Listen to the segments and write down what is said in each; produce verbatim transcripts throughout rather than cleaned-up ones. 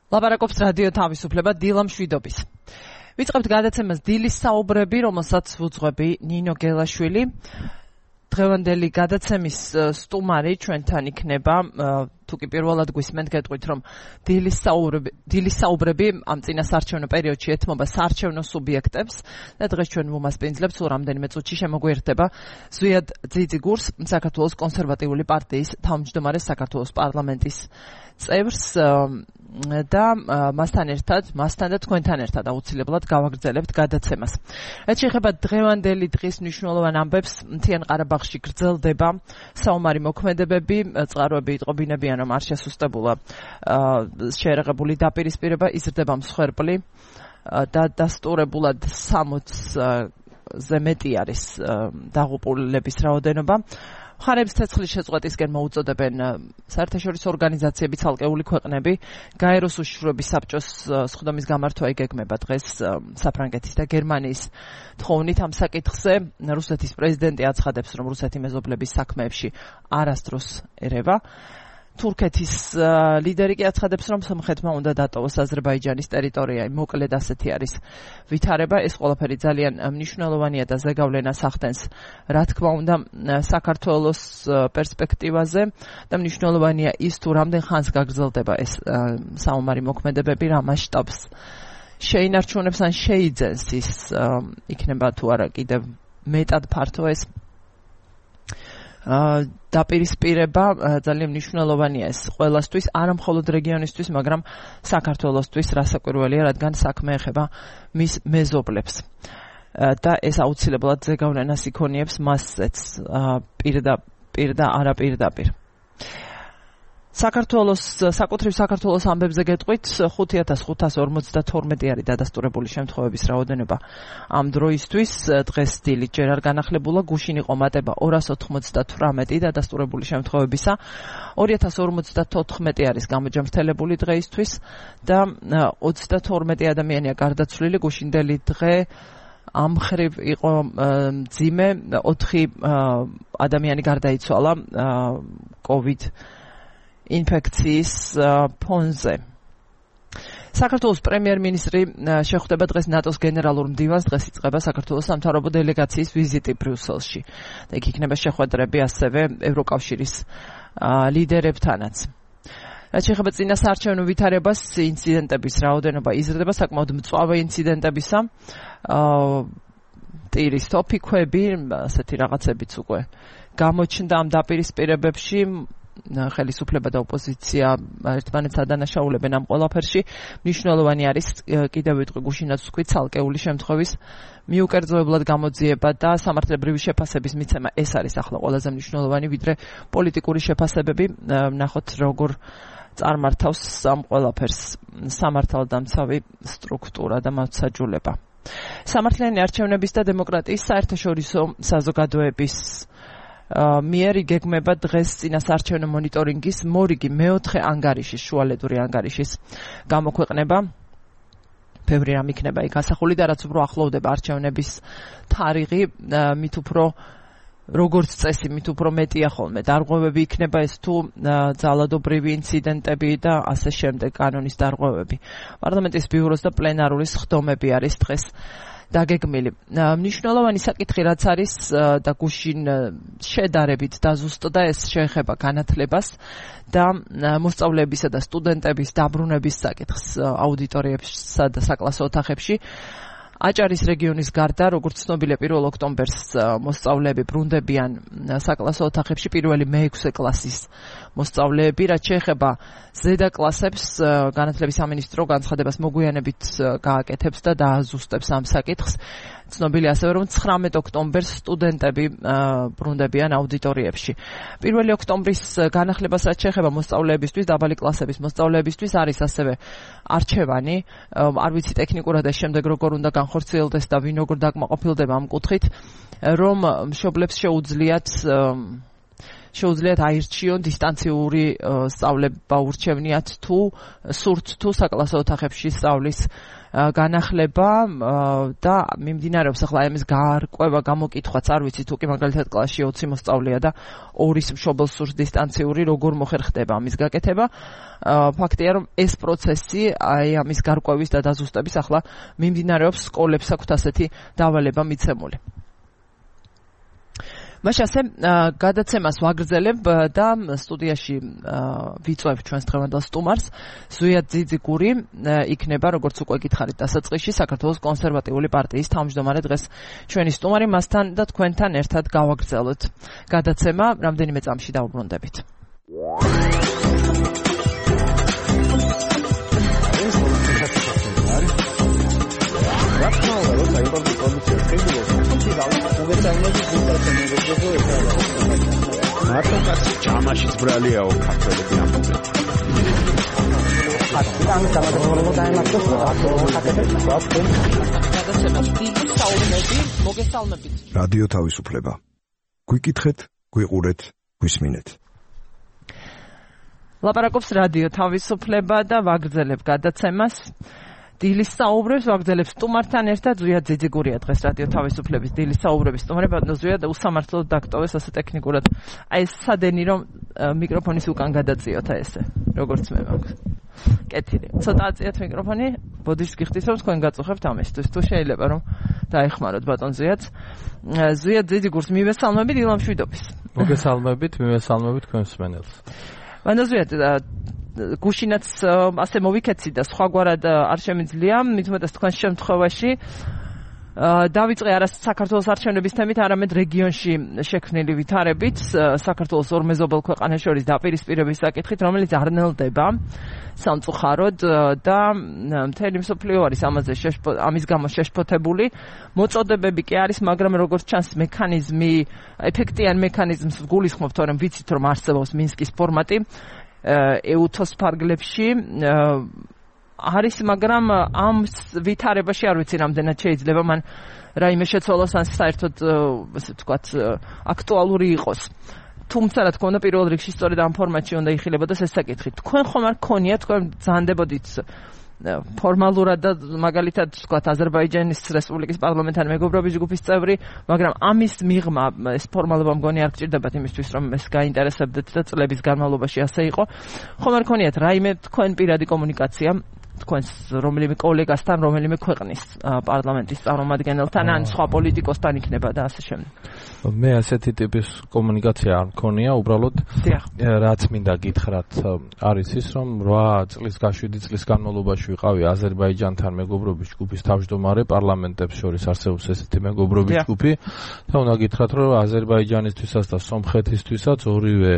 ლაპარაკობს რადიო თავისუფლება დილა მშვიდობის. ვიწყებთ გადაცემას დილის საუბრები, რომელსაც ვუძღვები ნინო გელაშვილი. დღევანდელი გადაცემის სტუმარი ჩვენთან იქნება, თუ კი პირველად გვისმენთ გეტყვით, რომ დილის საუბრები, დილის საუბრები ამ წინასაარჩევნო პერიოდში ეთმობა საარჩევნო სუბიექტებს და დღეს ჩვენ ვუმასპინძლებთ, სულ რამდენიმე წუთში შემოგვიერთდება ზვიად ძიძიგურს, საქართველოს კონსერვატიული პარტიის თავმჯდომარე საქართველოს პარლამენტის წევრს და მასთან ერთად, მასთან და თქვენთან ერთად აუცილებლად გავაგრძელებთ გადაცემას. რაც შეეხება დღევანდელი დღის მნიშვნელოვან ამბებს, მთიან ყარაბაღში გრძელდება საომარი მოქმედებები, წყაროები იტყობინებიან, რომ არ შესუსტებულა შეერაღებული დაპირისპირება, იზრდება მსხვერპლი და დასტურებულად სამოცზე მეტი არის დაღუპულების რაოდენობა. მხარეებს ცეცხლის შეწყვეტისკენ მოუწოდებენ საერთაშორისო ორგანიზაციები, ცალკეული ქვეყნები. გაეროს უშიშროების საბჭოს სხდომის გამართვა იგეგმება დღეს საფრანგეთის და გერმანიის თხოვნით ამ საკითხზე. რუსეთის პრეზიდენტი აცხადებს, რომ რუსეთი მეზობლების საქმეებში არასდროს ერევა. თურქეთის ლიდერი კი აცხადებს, რომ სომხეთმა უნდა დატოვოს აზერბაიჯანის ტერიტორია. მოკლედ ასეთი არის ვითარება. ეს ყველაფერი ძალიან მნიშვნელოვანია და ზეგავლენას ახდენს, რა თქმა უნდა, საქართველოს პერსპექტივაზე და მნიშვნელოვანია ის, თუ რამდენ ხანს გაგრძელდება ეს საომარი მოქმედებები, რა მასშტაბს შეინარჩუნებს ან შეიძენს ის იქნება თუ არა კიდევ მეტად ფართო ეს დაპირისპირება. ძალიან მნიშვნელოვანია ეს ყველასთვის, არა მხოლოდ რეგიონისთვის, მაგრამ საქართველოსთვის, რასაკვირველია, რადგან საქმე ეხება მის მეზობლებს და ეს აუცილებლად ზეგავლენას იქონიებს მასზეც პირდაპირ და არაპირდაპირ. საქართველოს საკუთრივ საქართველოს ამბებზე გეტყვით, ხუთი ათას ხუთას ორმოცდათორმეტი არის დადასტურებული შემთხვევების რაოდენობა ამ დროისთვის. დღეს დილით ჯერ არ განახლებულა, გუშინ იყო მატება ორას ოთხმოცდათვრამეტი დადასტურებული შემთხვევებისა. ორი ათას ორმოცდათოთხმეტი არის გამოჯამრთელებული დღეისთვის და ოცდათორმეტი ადამიანია გარდაცვლილი. გუშინდელი დღე ამ ხრივ იყო მძიმე, ოთხი ადამიანი გარდაიცვალა COVID ინფექციის ფონზე. საქართველოს პრემიერ-მინისტრი შეხვდება დღეს ნატოს გენერალურ მდივანს, დღეს იწყება საქართველოს სამთავრობო დელეგაციის ვიზიტი ბრიუსელში. და იქ იქნება შეხვედრები ასევე ევროკავშირის ლიდერებთანაც. რაც შეეხება წინასაარჩევნო ვითარებას, ინციდენტების რაოდენობა იზრდება, საკმაოდ მწვავე ინციდენტებისა. ტირის თოფიქვები, ასეთი რაღაცებიც უკვე გამოჩნდა ამ დაპირისპირებებში. ხელისუფლება და ოპოზიცია ერთმანეთს ადანაშაულებენ ამ ყველაფერში. მნიშვნელოვანი არის, კიდევ ვიტყვი, გუშინაც ვთქვი, ცალკეული შემთხვევის მიუკერძოებლად გამოძიება და სამართლებრივი შეფასების მიცემა. ეს არის ახლა ყველაზე მნიშვნელოვანი, ვიდრე პოლიტიკური შეფასებები. ნახოთ, როგორ წარმართავს ამ ყველაფერს სამართალდამცავი სტრუქტურა და მართლმსაჯულება. სამართლიანი არჩევნების და დემოკრატიის საერთაშორისო საზოგადოების მიერ იგეგმება დღეს წინასაარჩევნო მონიტორინგის მორიგი მეოთხე ანგარიშის, შუალედური ანგარიშის გამოქვეყნება. ბევრი რამ იქნება იქ ასახული და რაც უფრო ახლოვდება არჩევნების თარიღი, მით უფრო როგორც წესი, მით უფრო მეტია ხოლმე დარღვევები იქნება, ეს თუ ძალადობრივი ინციდენტები და ასე შემდეგ, კანონის დარღვევები. პარლამენტის ბიუროს და პლენარული სხდომები არის დღეს დაგეგმილი. მნიშვნელოვანი საკითხი რაც არის და გუშინ შედარებით დაზუსტდა, ეს შეეხება განათლებას და მოსწავლეებისა და სტუდენტების დაბრუნების საკითხს აუდიტორიებსა და საკლასო ოთახებში. აჭარის რეგიონის გარდა, როგორც ცნობილია, პირველ ოქტომბერს მოსწავლეები ბრუნდებიან საკლასო ოთახებში, პირველი მეექვსე კლასის მოსწავლეები. რაც შეეხება ზედა კლასებს, განათლების სამინისტრო განცხადებას მოგვიანებით გააკეთებს და დააზუსტებს ამ საკითხს. ცნობილია ასევე, რომ ცხრამეტ ოქტომბერს სტუდენტები ბრუნდებიან აუდიტორიებში. პირველი ოქტომბრის განახლებას რაც შეეხება მოსწავლეებისთვის, დაბალი კლასების მოსწავლეებისთვის არის ასევე არჩევანი. არ ვიცი ტექნიკურად ეს შემდეგ როგორ უნდა განხორციელდეს და ვინ როგორ დაკმაყოფილდება ამ კუთხით, რომ მშობლებს შეუძლიათ შეუძლიათ აირჩიონ დისტანციური სწავლება ურჩევნიათ თუ სურთ თუ საკლასო ოთახებში სწავლის განახლება და მიმდინარეობს ახლა ამის გარკვევა გამოკითხვაც არ ვიცი თუ კი მაგალითად კლასში ოცი მოსწავლეა და ორის მშობელს სურს დისტანციური როგორ მოხერხდება ამის გაკეთება ფაქტია რომ ეს პროცესი აი ამის გარკვევის და დაზუსტების ახლა მიმდინარეობს სკოლებს აქვთ ასეთი დავალება მიცემული მაშ ასე გადაცემას ვაგრძელებ და სტუდიაში ვიწვევ ჩვენს დღევანდელ სტუმარს ზვიად ძიძიგური იქნება როგორც უკვე გითხარით დასაწყისში საქართველოს კონსერვატიული პარტიის თავმჯდომარე დღეს ჩვენი სტუმარი მასთან და თქვენთან ერთად გავაგრძელოთ გადაცემა რამდენიმე წამში დავუბრუნდებით მარტო კაცი ჯამაშიც ბრალიაო ქართველები ამბობენ. ამის გამარჯვება დაემართოს მოგესალმებით. რადიო თავისუფლება. გვიკითხეთ, გვიყურეთ, გვისმინეთ. ლაპარაკობს რადიო თავისუფლება და ვაგრძელებ გადაცემას. დილის საუბრებს ვაგრძელებ სტუმართან ერთად ზვიად ძიძიგურია დღეს რადიო თავისუფლების დილის საუბრების სტუმარი ბატონო ზვიად უსამართლოდ დაგტოვეს ასე ტექნიკურად აი ეს სადენი რომ მიკროფონის უკან გადაწიოთ აი ესე როგორც მე მაქვს კეთილი ცოტა აწიათ მიკროფონი ბოდიშს გიხდით რომ თქვენ გაწუხებთ ამისთვის თუ შეიძლება რომ დაეხმაროთ ბატონ ზვიად ზვიად ძიძიგურს მივესალმებით ილამშვიდობის მოგესალმებით მივესალმებით თქვენ მსმენელს ბატონ ზვიად გუშინაც ასე მოვიქეცი და სხვაგვარად არ შემიძლია მithumetas თქვენს შემთხვევაში დავიწყე არა საქართველოს არჩევნების თემით არამედ რეგიონში შექმნილი ვითარებით საქართველოს ორ მეზობელ ქვეყანას შორის დაპირისპირების საკითხით რომელიც არ ნელდება სამწუხაროდ და მთელი მსოფლიო არის ამაზე ამის გამო შეშფოთებული მოწოდებები კი არის მაგრამ როგორც ჩანს მექანიზმი ეფექტიან მექანიზმს გულისხმობთ რომ ვიცით რომ არსებობს მინსკის ფორმატი ეუთოს ფარგლებში არის მაგრამ ამ ვითარებაში არ ვიცი რამდენად შეიძლება მან რაიმე შეცვალოს ან საერთოდ ასე ვთქვათ აქტუალური იყოს თუმცა რა თქმა უნდა პირველ რიგში სწორედ ამ ფორმატში უნდა იხილებოდეს ეს საკითხი თქვენ ხომ არ გქონიათ თქვენ ძანდებოდით ფორმალურად და მაგალითად ვთქვათ აზერბაიჯანის რესპუბლიკის პარლამენტთან მეგობრობის ჯგუფის წევრი მაგრამ ამის მიღმა ეს ფორმალობა მგონი არ გჭირდებათ იმისთვის რომ ეს გაინტერესებდეთ და წლების განმავლობაში ასე იყო ხომ არ გქონიათ რაიმე თქვენ პირადი კომუნიკაცია თქვენს რომელიმე კოლეგასთან რომელიმე ქვეყნის პარლამენტის წარმომადგენელთან ან სხვა პოლიტიკოსთან იქნება და ასე შემდეგ მე ასეთი ტიპის კომუნიკაცია არ მქონია უბრალოდ რაც მინდა გითხრათ არის ის რომ რვა წლის გაშვიდი წლის განმავლობაში ვიყავი აზერბაიჯანთან მეგობრობის ჯგუფის თავმჯდომარე პარლამენტებს შორის არსებობს ესეთი მეგობრობის ჯგუფი და უნდა გითხრათ რომ აზერბაიჯანისთვისაც და სომხეთისთვისაც ორივე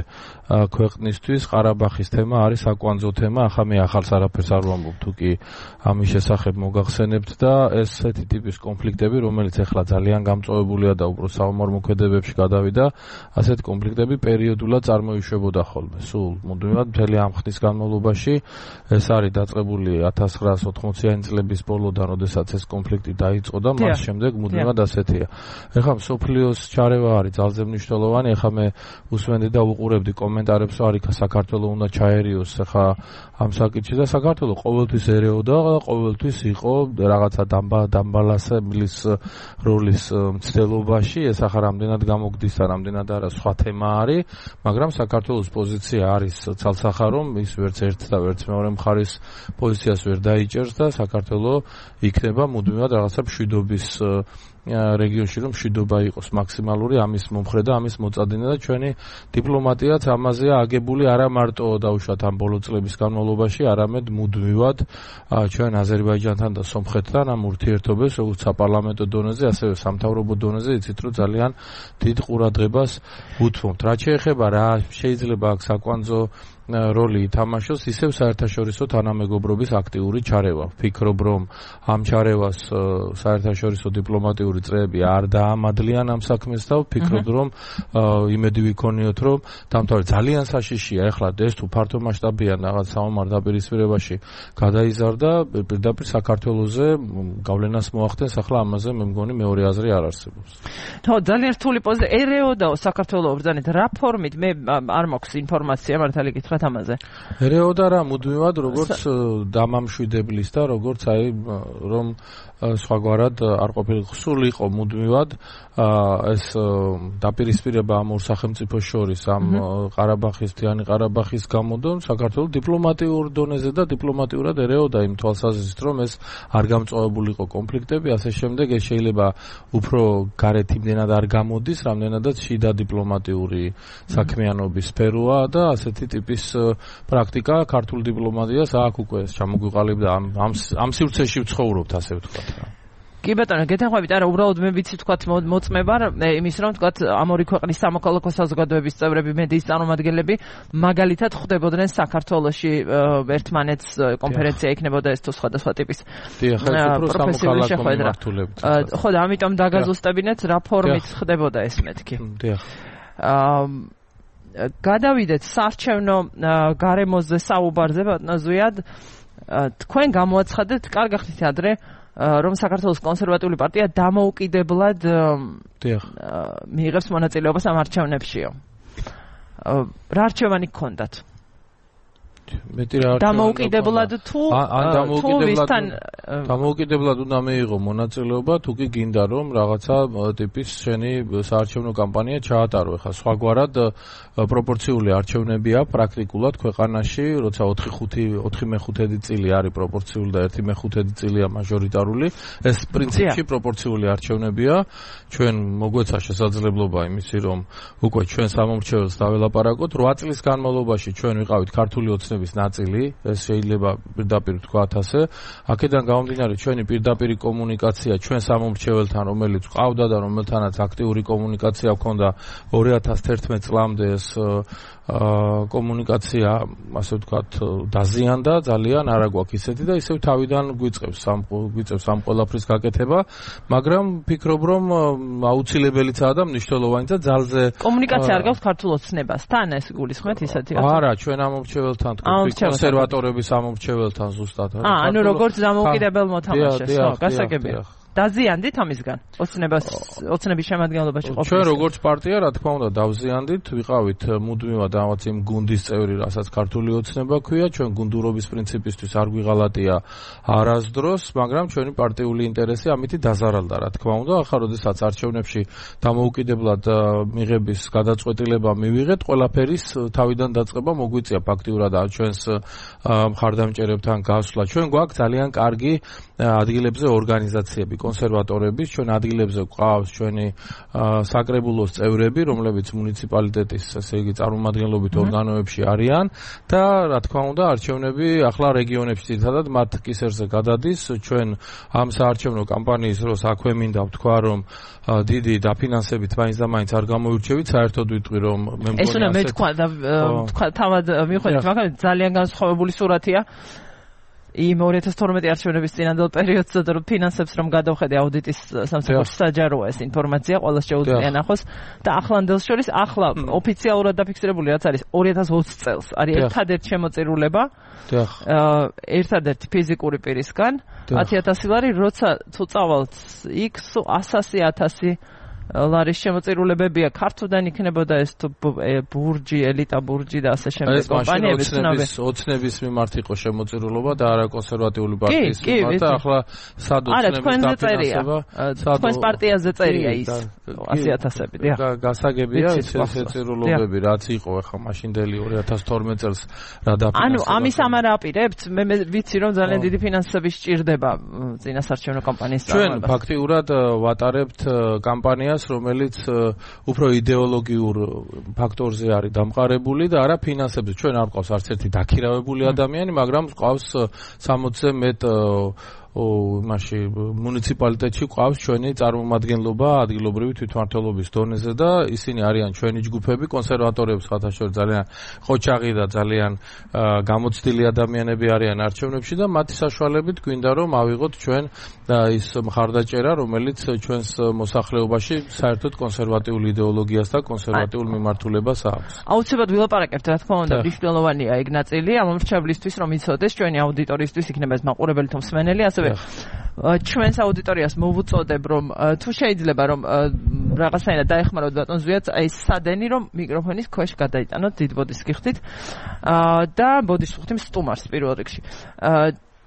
ქვეყნისთვის ყარაბაღის თემა არის საკვანძო თემა ახლა მე ახალს არაფერს არ ვამბობ თუკი ამის შესახებ მოგახსენებთ და ესეთი ტიპის კონფლიქტები რომელიც ახლა ძალიან გამწვავებულია და უბრალოდ საომარ-მოქმედებებში გადავიდა ასეთი კონფლიქტები პერიოდულად წარმოიშვებოდა ხოლმე სულ მუდმივად მთელი ამ ხნის განმავლობაში ეს არის დაწყებული ათას ცხრაასი ოთხმოციანი წლების ბოლოდან როდესაც ეს კონფლიქტი დაიწყო და მას შემდეგ მუდმივად ასეთია ეხლა მსოფლიოს ჩარევა არის ძალზე მნიშვნელოვანი ეხლა მე უსმენდი და უყურებდი კომენტარებს რომ არის საქართველოს უნდა ჩაერიოს ეხლა ამ საკითხში და საქართველოს ყოველთვის ერეოდა და ყოველთვის იყო რაღაცა დამბალანსებლის როლის მცდელობაში ეს ახლა რამდენად გამოგდის და რამდენად არა სხვა თემა არის მაგრამ საქართველოს პოზიცია არის ცალსახა რომ ის ვერც ერთ და ვერც მეორე მხარის პოზიციას ვერ დაიჭერს და საქართველოს იქნება მუდმივად რაღაცა მშვიდობის რეგიონში რომ მშვიდობა იყოს მაქსიმალური ამის მომხრე და ამის მოწადინე და ჩვენი დიპლომატიაც ამაზეა აგებული არა მარტო დაუშვათ ამ ბოლო წლების განმავლობაში არამედ მუდმივად ჩვენ აზერბაიჯანთან და სომხეთთან ამ ურთიერთობებს როგორც საპარლამენტო დონეზე ასევე სამთავრობო დონეზე იცით რომ ძალიან დიდ ყურადღებას უთმობთ რაც შეეხება რა შეიძლება აქ საკვანძო როლი ითამაშოს, ისევ საერთაშორისო თანამეგობრობის აქტიური ჩარევა. ვფიქრობ, რომ ამ ჩარევას საერთაშორისო დიპლომატიური წრეები არ დაამადლიან ამ საქმეს და ვფიქრობ, რომ იმედი ვიქონიოთ, რომ დამთავრდა ძალიან საშიშია. ეხლა ეს თუ ფართო მასშტაბიან რაღაც საომარ დაპირისპირებაში გადაიზარდა, პირდაპირ საქართველოზე გავლენას მოახდენს. ახლა ამაზე მე მგონი მეორე აზრი არ არსებობს. ხო, ძალიან რთული პოზიცია. ერეოდაო საქართველოს ბრძანეთ რა ფორმით? მე არ მაქვს ინფორმაცია, მართალი გითხრათ ამაზე. ერეოდა რა მუდმივად როგორც დამამშვიდებლის და როგორც აი რომ სხვაგვარად არ ყოფილიყო, სულ იყო მუდმივად ეს დაპირისპირება ამ ორ სახელმწიფოს შორის ამ ყარაბაღის, მთიანი ყარაბაღის გამოდო საქართველოს დიპლომატიურ დონეზე და დიპლომატიურად ერეოდა იმ თვალსაზრისით, რომ ეს არ გამწვავებულიყო კონფლიქტები, ასე შემდეგ ეს შეიძლება უფრო გარეთ იმდენად არ გამოდის, რამდენადაც შიდა დიპლომატიური საქმიანობის სფეროა და ასეთი ტიპის პრაქტიკა ქართულ დიპლომატიას აქ უკვე ჩამოგვიყალიბდა ამ ამ სივრცეში ვცხოვრობთ, ასე ვთქვათ. კი ბატონო, გეთანხმებით, არა, უბრალოდ მე ვიცი თქვათ მოწმება იმის რომ თქვათ ამ ორი ქვეყნის სამოქალაქო საზოგადოების წევრები, მედიის წარმომადგენლები მაგალითად ხვდებოდნენ საქართველოში ერთმანეთს კონფერენცია იქნებოდა ეს თუ სხვადასხვა ტიპის პროფესიული შეხვედრა. ხო და ამიტომ დაგაზუსტებინეთ რა ფორმით ხდებოდა ეს მეთქი. დიახ. გადავიდეთ საარჩევნო გარემოზე საუბარზე ბატონო ზვიად. თქვენ გამოაცხადეთ, კარგი ხნით ადრე რომ საქართველოს კონსერვატიული პარტია დამოუკიდებლად მიიღებს მონაწილეობას ამ არჩევნებშიო. რა არჩევანი გქონდათ? მეტი რა არჩევანი დამოუკიდებლად თუ თუ ვისთან დამოუკიდებლად უნდა მიიღო მონაწილეობა, თუ კი გინდა რომ რაღაცა ტიპის შენი საარჩევნო კამპანია ჩაატარო. ეხლა სხვაგვარად პროპორციული არჩევნებია პრაქტიკულად ქვეყანაში, როცა ოთხი მეხუთედი წილი არის პროპორციული და ერთი მეხუთედი წილია მაჟორიტარული. ეს პრინციპში პროპორციული არჩევნებია. ჩვენ მოგვეცა შესაძლებლობა იმისი, რომ უკვე ჩვენ სამომრჩეველს დაველაპარაკოთ. რვა წლის განმავლობაში ჩვენ ვიყავით ქართული ოცნების ნაწილი, ეს შეიძლება პირდაპირ ვთქვათ ასე. აქედან გამომდინარე ჩვენი პირდაპირი კომუნიკაცია ჩვენ სამომრჩეველთან, რომელიც ყავდა და რომელთანაც აქტიური კომუნიკაცია ჰქონდა ორი ათას თერთმეტ წლამდე ეს კომუნიკაცია, ასე ვთქვათ, დაზიანდა ძალიან, არა გვაქვს ისეთი და ისევ თავიდან გვიწყებს ამ გვიწყებს ამ ყველაფრის გაკეთება, მაგრამ ვფიქრობ, რომ აუცილებელიცაა და მნიშვნელოვანი და ძალზე კომუნიკაცია არ გაქვს ქართულ ოცნებასთან, ეს გულისხმეთ ისეთი არა, ჩვენ ამომრჩეველთან, კონსერვატორების ამომრჩეველთან ზუსტად. აა, ანუ როგორც დამოუკიდებელ მოთამაშეს, ხო, გასაგებია. დაზიანდით ამისგან ოცნებას ოცნების შემადგენლობაში ყოფნის. ჩვენ როგორც პარტია, რა თქმა უნდა, დავზიანდით, ვიყავით მუდმივად ამაც იმ გუნდის წევრი, რასაც ქართული ოცნება ქვია, ჩვენ გუნდურობის პრინციპისთვის არ გვიღალატია არასდროს, მაგრამ ჩვენი პარტიული ინტერესი ამით დაზარალდა, რა თქმა უნდა. ახლა როდესაც არჩევნებში დამოუკიდებლად მიღების გადაწყვეტილება მივიღეთ, ყველაფერის თავიდან დაწყება მოგვიწია ფაქტიურად ჩვენს მხარდამჭერებთან გასვლა. ჩვენ გვაქვს ძალიან კარგი ადგილებზე ორგანიზაციები, კონსერვატორების, ჩვენ ადგილებზე გვყავს ჩვენი საკრებულოს წევრები, რომლებიც მუნიციპალიტეტის, ესე იგი, წარმომადგენლობით ორგანოებში არიან და რა თქმა უნდა, არჩევნები ახლა რეგიონებში ძირითადად მათ კისერზე გადადის. ჩვენ ამ საარჩევნო კამპანიის დროს აქვე მინდა ვთქვა, რომ დიდი დაფინანსებით მაინც და მაინც არ გამოირჩევით, საერთოდ ვიტყვი, რომ მე მგონი ეს უნდა მე თქვა და თქვა თავად მიხვდით, მაგრამ ძალიან განსხვავებული სურათია. იმ ორი ათას თორმეტი არჩევნების წინანდელ პერიოდსა და ფინანსებს რომ გადავხედე აუდიტის სამსახურში საჯაროა ეს ინფორმაცია, ყველას შეუძლია ნახოს და ახლანდელს შორის ახლა ოფიციალურად დაფიქსირებული რაც არის ორი ათას ოცი წელს არის ერთადერთი შემოწირულება ერთადერთი ფიზიკური პირისგან ათი ათასი ლარი, როცა თუ წავალთ იქ ასასი ათასი ლარის შემოწირულებებია, ქართლიდან იქნებოდა ეს თუ ბურჯი, ელიტა ბურჯი და ასე შემდეგ კომპანიები ცნობილი. ეს ოცნების მიმართ იყო შემოწირულობა და არა კონსერვატიული პარტიის მიმართ და ახლა სად ოცნების დაფინანსება? თქვენს პარტიაზე წერია ის ასი ათასები, დიახ. გასაგებია ეს შეწირულობები, რაც იყო ახლა მაშინდელი ორი ათას თორმეტ წელს რა დაფინანსება. ანუ ამის ამარ აპირებთ, მე ვიცი რომ ძალიან დიდი ფინანსები სჭირდება წინასარჩევნო კამპანიის ჩვენ ფაქტიურად ვატარებთ კამპანიას, რომელიც უფრო იდეოლოგიურ ფაქტორზე არის დამყარებული და არა ფინანსებზე. ჩვენ არ ყავს არც ერთი დაქირავებული ადამიანი, მაგრამ ყავს სამოცზე მეტ იმაში მუნიციპალიტეტში ყავს ჩვენი წარმომადგენლობა ადგილობრივი თვითმმართველობის დონეზე და ისინი არიან ჩვენი ჯგუფები, კონსერვატორებს ხათაშორ ძალიან ყოჩაღი და ძალიან გამოცდილი ადამიანები არიან არჩევნებში და მათი საშუალებით გვინდა რომ ავიღოთ ჩვენ ის მხარდაჭერა, რომელიც ჩვენს მოსახლეობაში საერთოდ კონსერვატიულ იდეოლოგიას და კონსერვატიულ მიმართულებას აქვს. აუცილებლად ვილაპარაკებთ, რა თქმა უნდა, მნიშვნელოვანია ეგ ნაწილი ამ მრჩევლისთვის, რომ იცოდეს ჩვენი აუდიტორიისთვის იქნება ეს მაყურებელი თუ მსმენელი, ასევე ჩვენს აუდიტორიას მოვუწოდებ, რომ თუ შეიძლება რომ რაღაცნაირად დაეხმაროთ ბატონ ზვიადს, აი სადენი რომ მიკროფონის ქვეშ გადაიტანოთ დიდ ბოდის გიხდით და ბოდის ვხდით სტუმარს პირველ რიგში.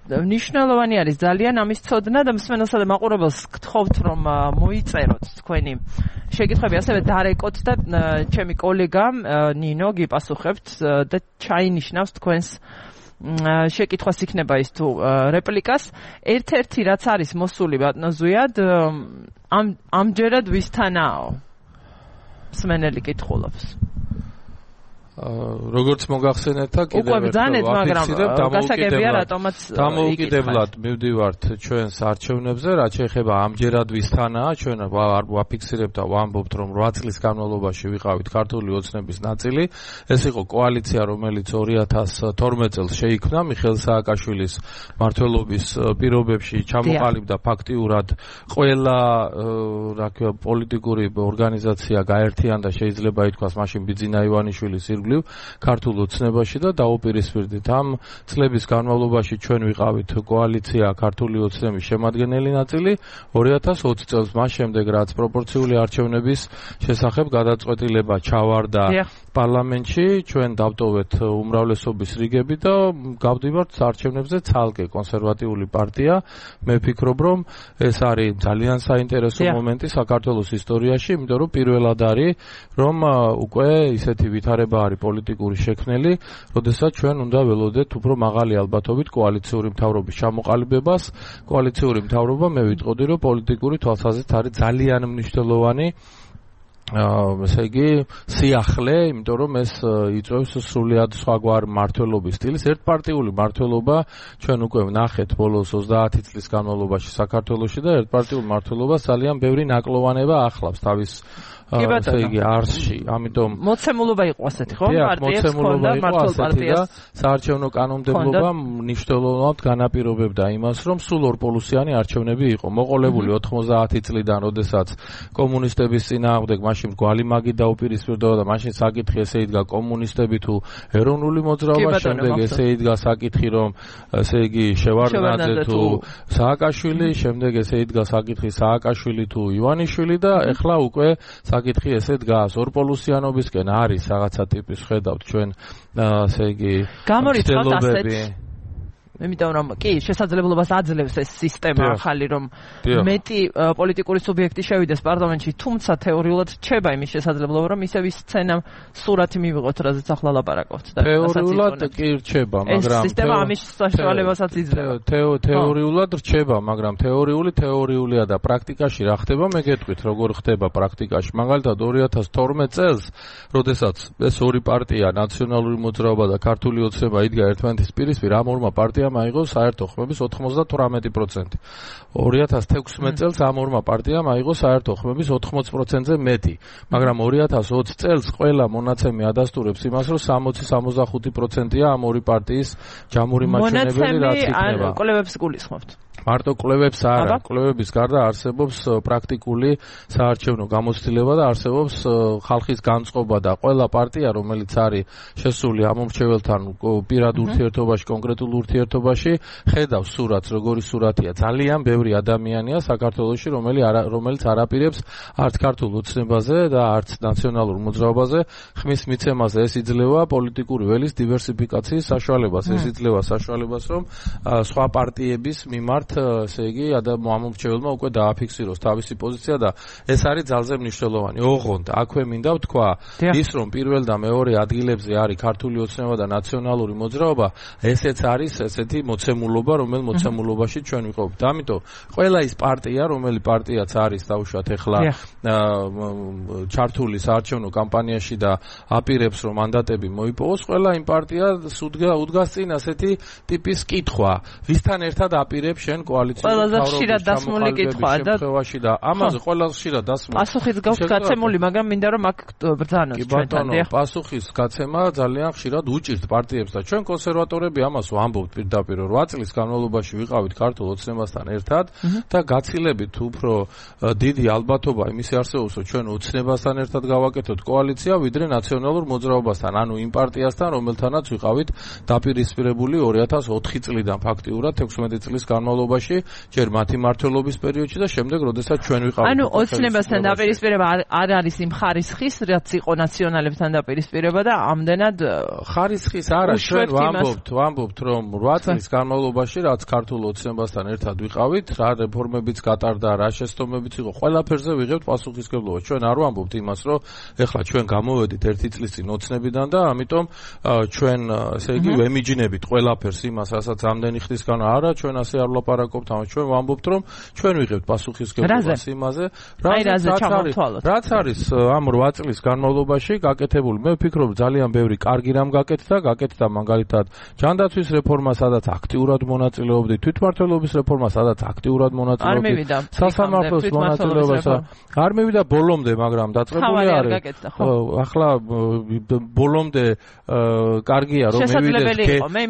მნიშვნელოვანი არის ძალიან ამის ცოდნა და მსმენელსა და მაყურებელს გთხოვთ რომ მოიწეროთ თქვენი შეკითხვები, ასევე დარეკოთ და ჩემი კოლეგამ ნინო გიპასუხებთ და ჩაინიშნავს თქვენს შეკითხვას იქნება ის თუ რეპლიკას. ერთ-ერთი რაც არის მოსული ბატონო ზვიად, ამ ამჯერად ვისთანაო? მსმენელი კითხულობს. როგორც მოგახსენეთ და კიდევ ერთხელ ვაფიქსირებ, დამოუკიდებლად მივდივართ ჩვენს არჩევნებზე, რაც შეეხება ამჯერად ვისთანაა, ჩვენ ვაფიქსირებთ და ვამბობთ, რომ რვა წლის განმავლობაში ვიყავით ქართული ოცნების ნაწილი. ეს იყო კოალიცია, რომელიც ორი ათას თორმეტ წელს შეიქმნა მიხეილ სააკაშვილის მმართველობის პირობებში, ჩამოყალიბდა ფაქტიურად ყველა რა ქვია პოლიტიკური ორგანიზაცია გაერთიანდა, შეიძლება ითქვას, მაშინ ბიძინა ივანიშვილის ქართულ ოცნებაში და დაუპირისპირდით ამ წლების განმავლობაში ჩვენ ვიყავით კოალიცია ქართული ოცნების შემადგენელი ნაწილი ორი ათას ოცი წელს, მას შემდეგ რაც პროპორციული არჩევნების შესახებ გადაწყვეტილება ჩავარდა პარლამენტში, ჩვენ დავტოვეთ უმრავლესობის რიგები და გავდივართ არჩევნებზე ცალკე კონსერვატიული პარტია. მე ვფიქრობ, რომ ეს არის ძალიან საინტერესო მომენტი საქართველოს ისტორიაში, იმიტომ რომ პირველად არის, რომ უკვე ისეთი ვითარება არის პოლიტიკური შექმნელი, როდესაც ჩვენ უნდა ველოდეთ უფრო მაღალი ალბათობით კოალიციური მთავრობის ჩამოყალიბებას. კოალიციური მთავრობა მე ვიტყოდი, რომ პოლიტიკური თვალსაზრისით არის ძალიან მნიშვნელოვანი ესე იგი სიახლე, იმიტომ რომ ეს იწვევს სრულიად სხვაგვარ მმართველობის სტილის. ერთპარტიული მმართველობა ჩვენ უკვე ვნახეთ ბოლოს ოცდაათი წლის განმავლობაში საქართველოში და ერთპარტიულ მმართველობას ძალიან ბევრი ნაკლოვანება ახლავს თავის ესე იგი არსში. ამიტომ მოცემულობა იყო ასეთი, ხო? პარტიებს ჰქონდა მართულ პარტიას. საარჩევნო კანონმდებლობა მნიშვნელოვნად განაპირობებდა იმას, რომ სულ ორპოლუსიანი არჩევნები იყო. მოყოლებული ოთხმოცდაათი წლიდან, როდესაც კომუნისტების წინააღმდეგ მაშინ გვალი მაგი დაუპირისპირდა და მაშინ საკითხი ესე იდგა კომუნისტები თუ ეროვნული მოძრაობა, შემდეგ ესე იდგა საკითხი რომ ესე იგი შევარდნაძე თუ სააკაშვილი, შემდეგ ესე იდგა საკითხი სააკაშვილი თუ ივანიშვილი და ეხლა უკვე საკითხი ესე დგას ორპოლუსიანობისკენ არის რაღაცა ტიპის ხედავთ ჩვენ ესე იგი გამორიცხავთ ასეთ იმიტომ რომ კი შესაძლებლობას აძლევს ეს სისტემა ახალი რომ მეტი პოლიტიკური სუბიექტი შევიდეს პარლამენტში, თუმცა თეორიულად რჩება იმის შესაძლებლობა რომ ისევ ის სცენა სურათი მივიღოთ, რაზეც ახლა ლაპარაკობთ და თეორიულად კი რჩება, მაგრამ ეს სისტემა ამის საშუალებასაც იძლევა. თეორიულად რჩება, მაგრამ თეორიული თეორიულია და პრაქტიკაში რა ხდება, მე გეტყვით როგორ ხდება პრაქტიკაში. მაგალითად ორი ათას თორმეტ წელს, როდესაც ეს ორი პარტია, ნაციონალური მოძრაობა და ქართული ოცნება იდგა ერთმანეთის პირისპირ, ამ ორმა პარტიამ აიღო საერთო ხმების ოცდაოთხ პროცენტი. ორი ათას თექვსმეტ წელს ამ ორმა პარტიამ აიღო საერთო ხმების ოთხმოცი პროცენტზე მეტი, მაგრამ ორი ათას ოცი წელს ყველა მონაცემი ადასტურებს იმას, რომ სამოცი სამოცდახუთი პროცენტია ამ ორი პარტიის ჯამური მაჩვენებელი, რაც იქნება. მონაცემი ან კვლევებს გულისხმობთ? მარტო კვლევებს არა, კვლევების გარდა არსებობს პრაქტიკული საარჩევნო გამოცდილება და არსებობს ხალხის განწყობა და ყველა პარტია, რომელიც არის შესული ამ მომრჩეველთან პირად ურთიერთობაში, კონკრეტულ ურთიერთობაში, ხედავს სურათს, როგორი სურათია. ძალიან ბევრი ადამიანია საქართველოში, რომელიც არ აპირებს არც ქართულ ოცნებაზე და არც ნაციონალურ მოძრაობაზე ხმის მიცემაზე. ეს იძლევა პოლიტიკური ველის დივერსიფიკაციის საშუალებას, ეს იძლევა საშუალებას, რომ სხვა პარტიების მიმართ ესე იგი ამომრჩეველმა უკვე დააფიქსიროს თავისი პოზიცია და ეს არის ძალზე მნიშვნელოვანი. ოღონდ აქვე მინდა ვთქვა ის, რომ პირველ და მეორე ადგილებზე არის ქართული ოცნება და ნაციონალური მოძრაობა, ესეც არის ესეთი მოცემულობა, რომელ მოცემულობაში ჩვენ ვიყავით. ამიტომ ყველა ის პარტია, რომელი პარტიაც არის დაუშვათ ეხლა ჩართული საარჩევნო კამპანიაში და აპირებს რომ მანდატები მოიპოვოს, ყველა იმ პარტიას უდგას წინ ასეთი ტიპის კითხვა, ვისთან ერთად აპირებს შენ კოალიციური ყველაზე ხშირად დასმული კითხვაა და შემთხვევაში და ამაზე ყველაზე ხშირად დასმული. პასუხიც გაქვს გაცემული, მაგრამ მინდა რომ აქ ბრძანოთ ჩვენთან. კი ბატონო, პასუხის გაცემა ძალიან ხშირად უჭირთ პარტიებს და ჩვენ კონსერვატორები ამას ვამბობთ პირდაპირ რვა წლის განმავლობაში ვიყავით ქართულ ოცნებასთან ერთად და გაცილებით უფრო დიდი ალბათობა იმისი არსებობს, რომ ჩვენ ოცნებასთან ერთად გავაკეთოთ კოალიცია, ვიდრე ნაციონალურ მოძრაობასთან, ანუ იმ პარტიასთან, რომელთანაც ვიყავით დაპირისპირებული ორი ათას ოთხი წლიდან ფაქტიურად ექვსმეტი წლის განმავლობაში, ჯერ მათი მმართველობის პერიოდში და შემდეგ, როდესაც ჩვენ ვიყავით. ანუ ოცნებასთან დაპირისპირება არ არის იმ ხარისხის, რაც იყო ნაციონალებთან დაპირისპირება და ამდენად ხარისხის არა, ჩვენ ვამბობთ, ვამბობთ, რომ რვა წლის განმავლობაში, რაც ქართულ ოცნებასთან ერთად ვიყავით, რა რეფორმებიც გატარდა, რა შეცდომებიც იყო, ყველაფერზე ვიღებთ პასუხისმგებლობა. ჩვენ არ ვამბობთ იმას, რომ ეხლა ჩვენ გამოვედით ერთი წლის წინ ოცნებიდან და ამიტომ ჩვენ ესე იგი ვემიჯნებით ყველაფერს იმას, რასაც ამდენი ხნის განა არა, ჩვენ ასე არ ვლაპარაკობთ, ამას ჩვენ ვამბობთ, რომ ჩვენ ვიღებთ პასუხისმგებლობას იმაზე, რაც არის ამ რვა წლის განმავლობაში გაკეთებული. მე ვფიქრობ, ძალიან ბევრი კარგი რამ გაკეთდა, გაკეთდა მაგალითად ჯანდაცვის რეფორმა, სადაც აქტიურად მონაწილეობდი, თვითმმართველობის რეფორმა, სადაც აქტიურად მონაწილეობდი, სასამართლოს მონაწილეობასა არ მივიდა ბოლომდე, მაგრამ დაწყებული არის. ახლა ბოლომდე კარგია რომ მივიდეს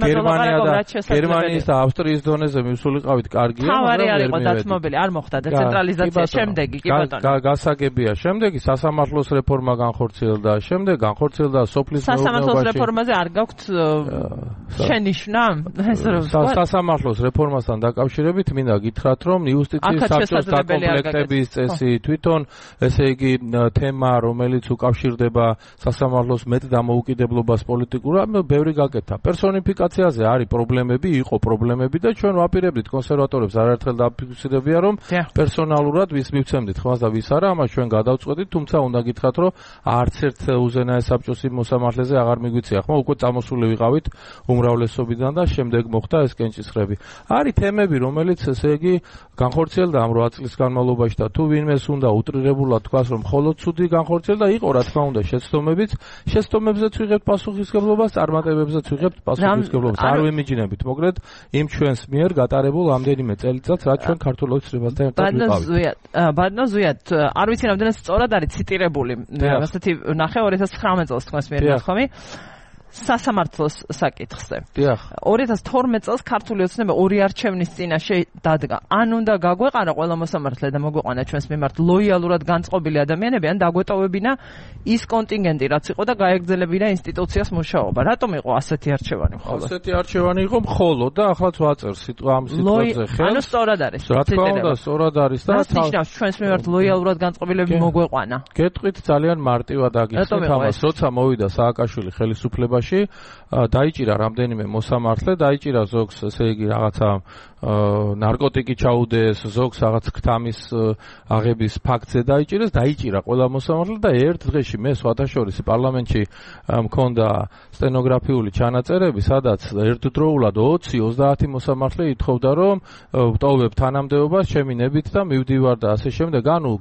გერმანია და გერმანიის და ავსტრიის დონეზე მივსულიყავით კარგია, მაგრამ ვერ მივედი. დათმობილი არ მოხდა დეცენტრალიზაცია შემდეგი კი ბატონო. გასაგებია, შემდეგი სასამართლოს რეფორმა განხორციელდა, შემდეგ განხორციელდა სოფლის მეურნეობაში. სასამართლოს რეფორმაზე არ გაქვთ შენიშვნა? სასამართლოს რეფორმასთან დაკავშირებით მინდა გითხრათ, რომ იუსტიციის საბჭოს დაკომპლექტების წესი თვითონ ესე იგი თემა, რომელიც უკავშირდება სასამართლოს მეტ დამოუკიდებლობას პოლიტიკურად, ბევრი გაკეთდა. პერსონიფიკაციაზე არის პრობლემები, იყო პრობლემები და ჩვენ ვაპირებდით კონსერვატორებს არაერთხელ დაფიქსირებია, რომ პერსონალურად ვის მივცემდით ხმას და ვის არა, ამას ჩვენ გადავწყვეტით, თუმცა უნდა გითხრათ, რომ არც ერთ უზენაეს საბჭოს მოსამართლეზე აღარ მიგვიწია ხმა, უკვე წამოსული ვიყავით უმრავლესობიდან და შემდეგ მოხდა ეს კენჭისყრები. არის თემები, რომელიც ესე იგი განხორციელდა ამ რვა წლის განმავლობაში და თუ ვინმეს უნდა უტრირებულად თქვას, რომ მხოლოდ ცუდი განხორციელდა, იყო რა თქმა უნდა შეცდომებიც, შეცდომებზეც ვიღებთ პასუხისმგებლობას, წარმატებებზეც ვიღებთ პასუხისმგებლობას. არ ვემიჯნებით, მოკლედ იმ ჩვენს მიერ გატარებულ ამდენიმე წელიწადს, რაც ჩვენ ქართულ ოცნებასთან ერთად ვიყავით. ბატონო ზუიად, არ ვიცი რამდენად სწორად არის ციტირებული. ასეთი ნახე ორი ათას ცხრამეტ წელს თქვენს მიერ ნახომი. სასამართლოს საკითხზე. ორი ათას თორმეტ წელს ქართული ოცნება ორი არჩევნის წინაშე დადგა. ან უნდა გაგვეყარა ყველა მოსამართლე და მოგვეყანა ჩვენს მიმართ ლოიალურად განწყობილი ადამიანები, ან დაგვეტოვებინა ის კონტინგენტი, რაც იყო და გაეგრძელებინა ინსტიტუციას მუშაობა. რატომ იყო ასეთი არჩევანი მხოლოდ? ასეთი არჩევანი იყო მხოლოდ და ახლა ვაწერ სიტყვა ამ სიტყვაზე ხელს. ანუ სწორად არის. რა თქმა უნდა, სწორად არის და ნიშნავს ჩვენს მიმართ ლოიალურად განწყობილები მოგვეყანა. გეტყვით ძალიან მარტივად აგიხსნით ამას, როცა მოვიდა სააკაშვილი ხელისუფლებაში დაიჭირა რამდენიმე მოსამართლე, დაიჭირა ზოგს ესე იგი რაღაცა ნარკოტიკი ჩაუდეს, ზოგს რაღაც ქთამის აღების ფაქტზე დაიჭირეს, დაიჭირა ყველა მოსამართლე და ერთ დღეში მე სხვათაშორის პარლამენტში მქონდა სტენოგრაფიული ჩანაწერები, სადაც ერთდროულად ოცი ოცდაათი მოსამართლე ითხოვდა, რომ ვტოვებ თანამდებობას ჩემი ნებით და მივდივარ და ასე შემდეგ. ანუ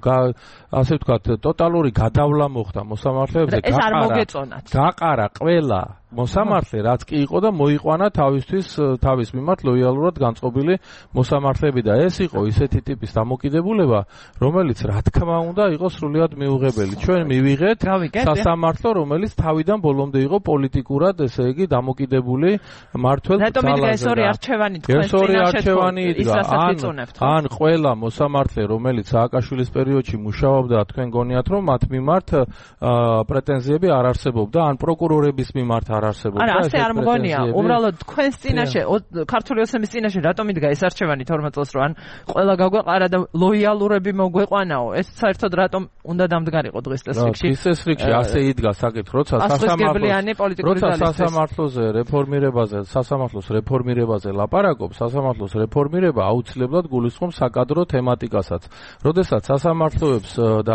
ასე ვთქვათ, ტოტალური გადავლა მოხდა მოსამართლეებზე. ეს არ მოგეწონათ. გაყარა ყველა მოსამართლე, რაც კი იყო და მოიყვანა თავისთვის თავის მიმართ ლოიალურად განწყობილი მოსამართლეები და ეს იყო ისეთი ტიპის დამოკიდებულება, რომელიც რა თქმა უნდა იყო სრულიად მიუღებელი. ჩვენ მივიღეთ სასამართლო, რომელიც თავიდან ბოლომდე იყო პოლიტიკურად, ესე იგი, დამოკიდებული მმართველ ძალაზე. რატომ იდგა ეს ორი არჩევანი თქვენს წინაშე? ან ყველა მოსამართლე, რომელიც სააკაშვილის პერიოდში მუშაობდა, თქვენ გონიათ, რომ მათ მიმართ პრეტენზიები არ არსებობდა, ან პროკურორების მიმართ არ არსებობდა. არა, ასე არ მგონია. უბრალოდ თქვენს წინაშე, ქართული ოცნების წინაშე რატომ იდგა ეს არჩევანი თორმეტ წელს, რომ ან ყველა გაგვეყარა და ლოიალურები მოგვეყვანაო? ეს საერთოდ რატომ უნდა დამდგარიყო დღეს წესრიგში? დღეს წესრიგში ასე იდგა საკითხი, როცა სასამართლოზე რეფორმირებაზე, სასამართლოს რეფორმირებაზე ლაპარაკობს, სასამართლოს რეფორმირება აუცილებლად გულისხმობს საკადრო თემატიკასაც. როდესაც სასამართლოებს და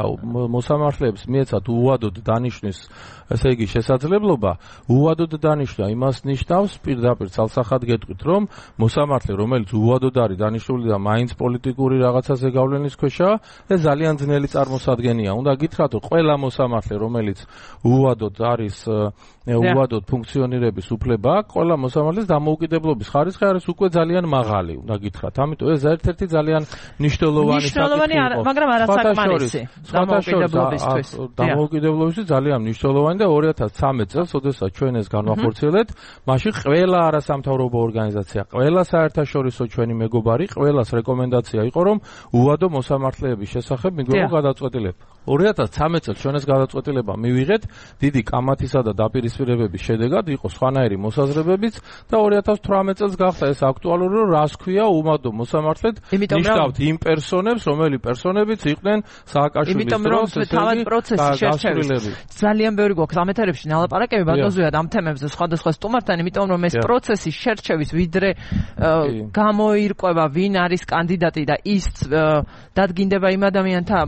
მოსამართლეებს მიეცათ უვადოდ დანიშნვის, ესე იგი, შესაძლებლობა, უვადოდ უვადოდ დანიშნა, იმას ნიშნავს პირდაპირ ცალსახად გეტყვით, რომ მოსამართლე, რომელიც უვადოდ არის დანიშნული და მაინც პოლიტიკური რაღაცაზე გავლენის ქვეშაა, ეს ძალიან ძნელი წარმოსადგენია. უნდა გითხრათ, რომ ყველა მოსამართლე, რომელიც უვადოდ არის უვადოდ ფუნქციონირების უფლება აქვს, ყველა მოსამართლეს დამოუკიდებლობის ხარისხი არის უკვე ძალიან მაღალი, უნდა გითხრათ. ამიტომ ეს ერთ-ერთი ძალიან მნიშვნელოვანი მნიშვნელოვანი, მაგრამ არასაკმარისი. დამოუკიდებლობისთვის. დამოუკიდებლობისთვის ძალიან მნიშვნელოვანი და ორი ათას ცხრამეტ წელს, ოდესაც ჩვენ ეს განვახორციელეთ, მაშინ ყველა არასამთავრობო ორგანიზაცია, ყველა საერთაშორისო ჩვენი მეგობარი, ყველას რეკომენდაცია იყო, რომ უვადო მოსამართლეების შესახებ მიგვეღო გადაწყვეტილება. ორი ათას ცხრამეტ წელს ჩვენ ეს გადაწყვეტილება მივიღეთ, დიდი კამათისა და დაპირისპირებების შედეგად იყო სხვანაირი მოსაზრებებიც და ორი ათას თვრამეტ წელს გახდა ეს აქტუალური, რომ რას ქვია უვადო მოსამართლედ ნიშნავთ იმ პერსონებს, რომელი პერსონებიც იყვნენ სააკაშვილის დროს, ესე იგი პროცესი შერჩევის. ძალიან ბევრი გვაქვს ამ ეთერებში ნალაპარაკები ბატონზეა ამ თემებზე სხვადასხვა სტუმართან, იმიტომ რომ ეს პროცესი შერჩევის ვიდრე გამოირკვევა ვინ არის კანდიდატი და ის დადგინდება იმ ადამიანთა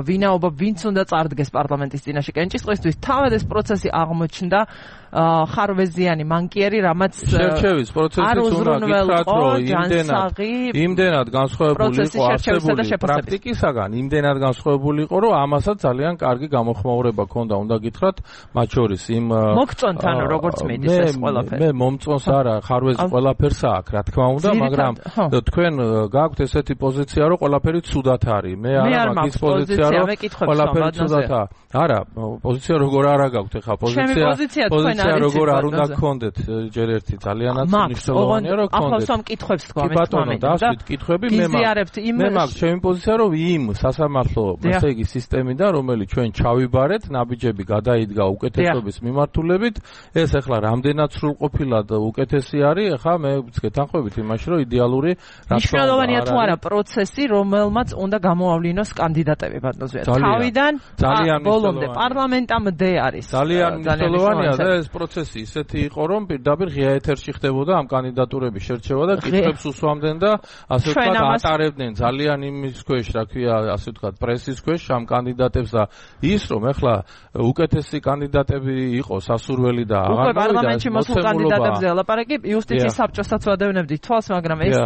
ვინაობა, ვინც უნდა წარდგეს პარლამენტის წინაშე კენჭისყრისთვის, თავად ეს პროცესი აღმოჩნდა ხარვეზიანი მანკიერი, რამაც შერჩევის პროცესიც უნდა გითხრათ, რომ იმდენად იმდენად განსხვავებული იყო არსებული პრაქტიკისაგან, იმდენად განსხვავებული იყო, რომ ამასაც ძალიან კარგი გამოხმაურება ჰქონდა, უნდა გითხრათ, მათ შორის იმ მოგწონთან როგორც მიდის ეს ყველაფერი. მე მომწონს არა, ხარვეზი ყველაფერს აქვს, რა თქმა უნდა, მაგრამ თქვენ გაქვთ ესეთი პოზიცია, რომ ყველაფერი ცუდად არის. მე არა მაგის პოზიცია, რომ ყველაფერი ცუდადაა. არა, პოზიცია როგორ არა გაქვთ ახლა პოზიცია. პოზიცია როგორ არ უნდა გქონდეთ ჯერ ერთი ძალიანაც მნიშვნელოვანია რომ გქონდეთ. ახლა სამ კითხვებს თქვა მე თვითონ დავსვით კითხვები მე მე მაგ ჩემი პოზიცია რომ იმ სასამართლო ესე იგი სისტემიდან რომელიც ჩვენ ჩავიბარეთ, ნაბიჯები გადაიდგა უკეთესობის მიმართულებით, ეს ახლა რამდენად სრულყოფილად უკეთესი არის, ახლა მე გეთანხმებით იმაში რომ იდეალური რა მნიშვნელოვანია თუ არა პროცესი, რომელმაც უნდა გამოავლინოს კანდიდატები ბატონზეა. თავიდან ბოლომდე პარლამენტამდე არის. ძალიან მნიშვნელოვანია და ეს პროცესი ისეთი იყო, რომ პირდაპირ ღია ეთერში ხდებოდა ამ კანდიდატურების შერჩევა და კითხვებს უსვამდნენ და ასე ვთქვათ ატარებდნენ ძალიან იმის ქვეშ, რა ქვია, ასე ვთქვათ, პრესის ქვეშ ამ კანდიდატებს და ის რომ ახლა უკეთესი კანდიდატები იყოს სასურველი და აღარ მოვიდა პარლამენტში მოსულ კანდიდატებზე ლაპარაკი, იუსტიციის საბჭოსაც ვადევნებდით თვალს, მაგრამ ეს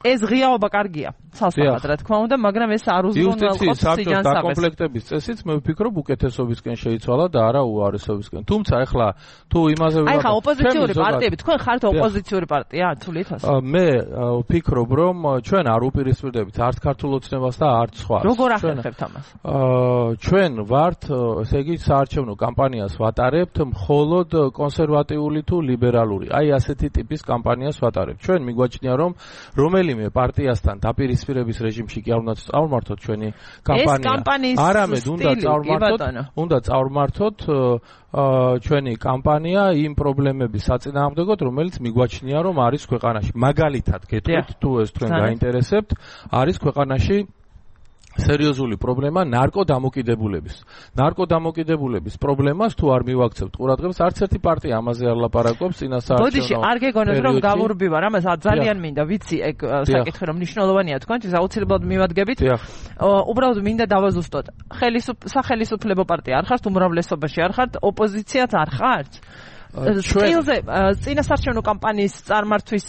ეს ღიაობა კარგია, ცალსახად რა თქმა უნდა, მაგრამ ეს არ უზრუნველყოფს სიჯანსაღეს. დაკომპლექტების წესიც მე ვფიქრობ უკეთესობისკენ შეიცვალა და არა უარესობისკენ. თუმცა ახლა თუ იმაზე ვიყავ. აი ხა ოპოზიციური პარტიები, თქვენ ხართ ოპოზიციური პარტია, თუ ლითოს? მე ვფიქრობ, რომ ჩვენ არ უპირისპირდებით არც ქართულ ოცნებას და არც სხვას. როგორ ახერხებთ ამას? ჩვენ ვართ, ესე იგი, საარჩევნო კამპანიას ვატარებთ მხოლოდ კონსერვატიული თუ ლიბერალური. აი ასეთი ტიპის კამპანიას ვატარებთ. ჩვენ მიგვაჩნია, რომ რომელი მე პარტიასთან დაპირისპირების რეჟიმში კი არ უნდა წავმართოთ ჩვენი კამპანია. არამედ უნდა წავმართოთ, უნდა წავმართოთ ჩვენი კამპანია იმ პრობლემების საწინააღმდეგოდ, რომელიც მიგვაჩნია, რომ არის ქვეყანაში. მაგალითად, გეტყვით, თუ ეს თქვენ გაინტერესებთ, არის ქვეყანაში სერიოზული პრობლემა ნარკოდამოკიდებულების. ნარკოდამოკიდებულების პრობლემას თუ არ მივაქცევთ ყურადღებას, არც ერთი პარტია ამაზე არ ლაპარაკობს წინასაარჩევნო. ბოდიში, არ გეგონოთ რომ გავურბივარ, ამას ძალიან მინდა ვიცი ეგ საკითხი რომ მნიშვნელოვანია თქვენთვის, აუცილებლად მივადგებით. უბრალოდ მინდა დავაზუსტოთ. სახელმწიფო პარტია არ ხართ, უმრავლესობაში არ ხართ, ოპოზიციაც არ ხართ. სტილზე წინასაარჩევნო კამპანიის წარმართვის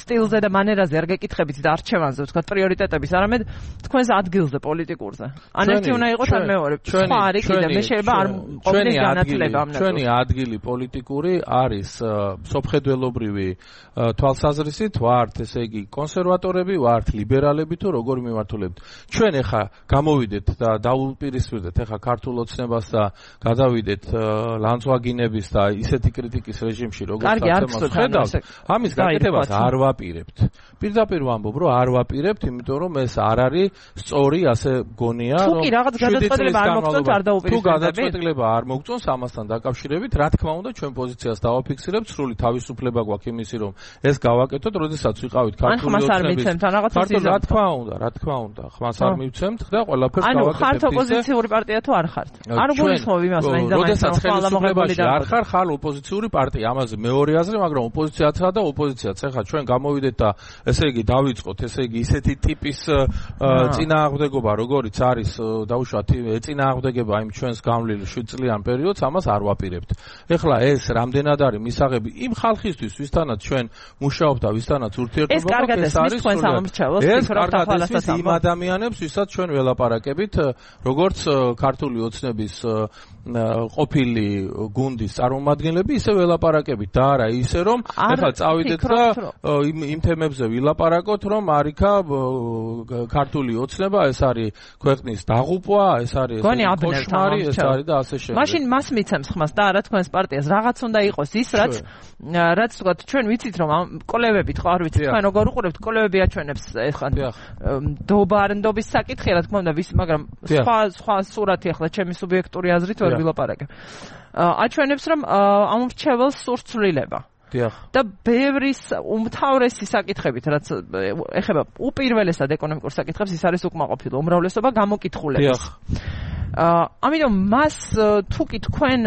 სტილზე და მანერაზე არ გეკითხებით და არჩევანზე ვთქვათ პრიორიტეტების, არამედ თქვენს ადგილზე პოლიტიკურზე. ან ერთი უნდა იყოს, ან მეორე. სხვა არის კიდე, მე შეიძლება არ ყოფნის განათლება ამ ნაწილს. ჩვენი ადგილი პოლიტიკური არის სოფხედველობრივი თვალსაზრისით, ვართ ესე იგი კონსერვატორები, ვართ ლიბერალები თუ როგორ მიმართულებთ. ჩვენ ახლა გამოვიდეთ და დაუპირისპირდეთ ახლა ქართულ ოცნებას და გადავიდეთ ლანძღვაგინების და ისეთი კრიტიკის რეჟიმში, როგორც ახლა ხედავთ, ამის გაკეთებას არ ვაპირებთ. პირდაპირ ვამბობ, რომ არ ვაპირებთ, იმიტომ რომ ეს არ არის სწორი, ასე გონია, რომ თუ კი რაღაც გადაწყვეტილება არ მოგწონთ, არ დაუპირისპირდებით. თუ გადაწყვეტილება არ მოგწონს ამასთან დაკავშირებით, რა თქმა უნდა, ჩვენ პოზიციას დავაფიქსირებთ, სრული თავისუფლება გვაქვს იმისი, რომ ეს გავაკეთოთ, როდესაც ვიყავით ქართული ოცნების. რა თქმა უნდა, რა თქმა უნდა, ხმას არ მივცემთ და ყველაფერს გავაკეთებთ. ანუ ხართ ოპოზიციური პარტია თუ არ ხართ? არ გულისხმობ იმას, მაინც და მაინც როდესაც ხელისუფლებაში არ ხარ, ხარ ოპოზიციური პარტია, ამაზე მეორე აზრი, მაგრამ ოპოზიციაცაა და ოპოზიციაც. ეხლა ჩვენ გამოვიდეთ და ესე იგი დავიწყოთ, ესე იგი ისეთი ტიპის წინააღმდეგობა, როგორიც არის დაუშვათ წინააღმდეგება იმ ჩვენს გამლილ შვიდ წლიან პერიოდს, ამას არ ვაპირებთ. ეხლა ეს რამდენად არის მისაღები იმ ხალხისთვის, ვისთანაც ჩვენ მუშაობთ და ვისთანაც ურთიერთობა გვაქვს, ეს არის ეს კარგად ესმის იმ ადამიანებს, ვისაც ჩვენ ველაპარაკებით, როგორც ქართული ოცნების ყოფილი გუნდის წარმომადგენლები, ისე ველაპარაკებით და არა ისე რომ ეხლა წავიდეთ და იმ იმ თემებზე ვილაპარაკოთ, რომ არიქა ქართული ოცნება, ეს არის ქვეყნის დაღუპვა, ეს არის კოშმარი, ეს არის და ასე შემდეგ. მაშინ მას მიცემს ხმას და არა თქვენს პარტიას რაღაც უნდა იყოს ის, რაც რაც თქვათ ჩვენ ვიცით რომ ამ კოლევებით ხო არ ვიცით თქვენ როგორ უყურებთ კოლევები აჩვენებს ეხლა დობარნდობის საკითხი რა თქმა უნდა ვის მაგრამ სხვა სხვა სურათი ახლა ჩემი სუბიექტური აზრით ვერ ვილაპარაკებ. აჩვენებს რომ ამ მრჩეველს სურს ცვლილება. და ბევრის უმთავრესი საკითხებით, რაც ეხება უპირველესად ეკონომიკურ საკითხებს, ის არის უკმაყოფილო უმრავლესობა გამოკითხულების. ამიტომ მას თუ კი თქვენ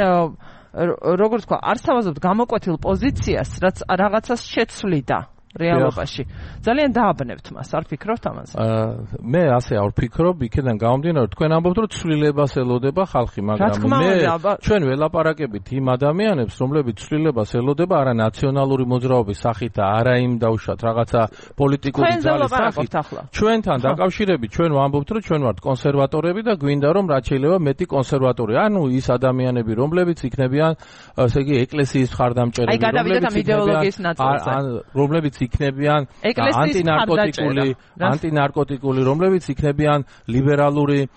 როგორც თქვა, არ სთავაზობთ გამოკვეთილ პოზიციას, რაც რაღაცას შეცვლიდა რეალობაში. ძალიან დააბნევთ მას, არ ფიქრობთ ამაზე? მე ასე არ ვფიქრობ, იქიდან გამომდინარე, თქვენ ამბობთ, რომ ცვლილებას ელოდება ხალხი, მაგრამ მე ჩვენ ველაპარაკებით იმ ადამიანებს, რომლებიც ცვლილებას ელოდება არა ნაციონალური მოძრაობის სახით და არა იმ დაუშვათ რაღაცა პოლიტიკური ძალის სახით. ჩვენთან დაკავშირებით ჩვენ ვამბობთ, რომ ჩვენ ვართ კონსერვატორები და გვინდა რომ რაც შეიძლება მეტი კონსერვატორი. ანუ ის ადამიანები, რომლებიც იქნებიან, ესე იგი, ეკლესიის მხარდამჭერები, რომლებიც იქნებიან ანტინარკოტიკული ანტინარკოტიკული რომლებიც იქნებიან ლიბერალური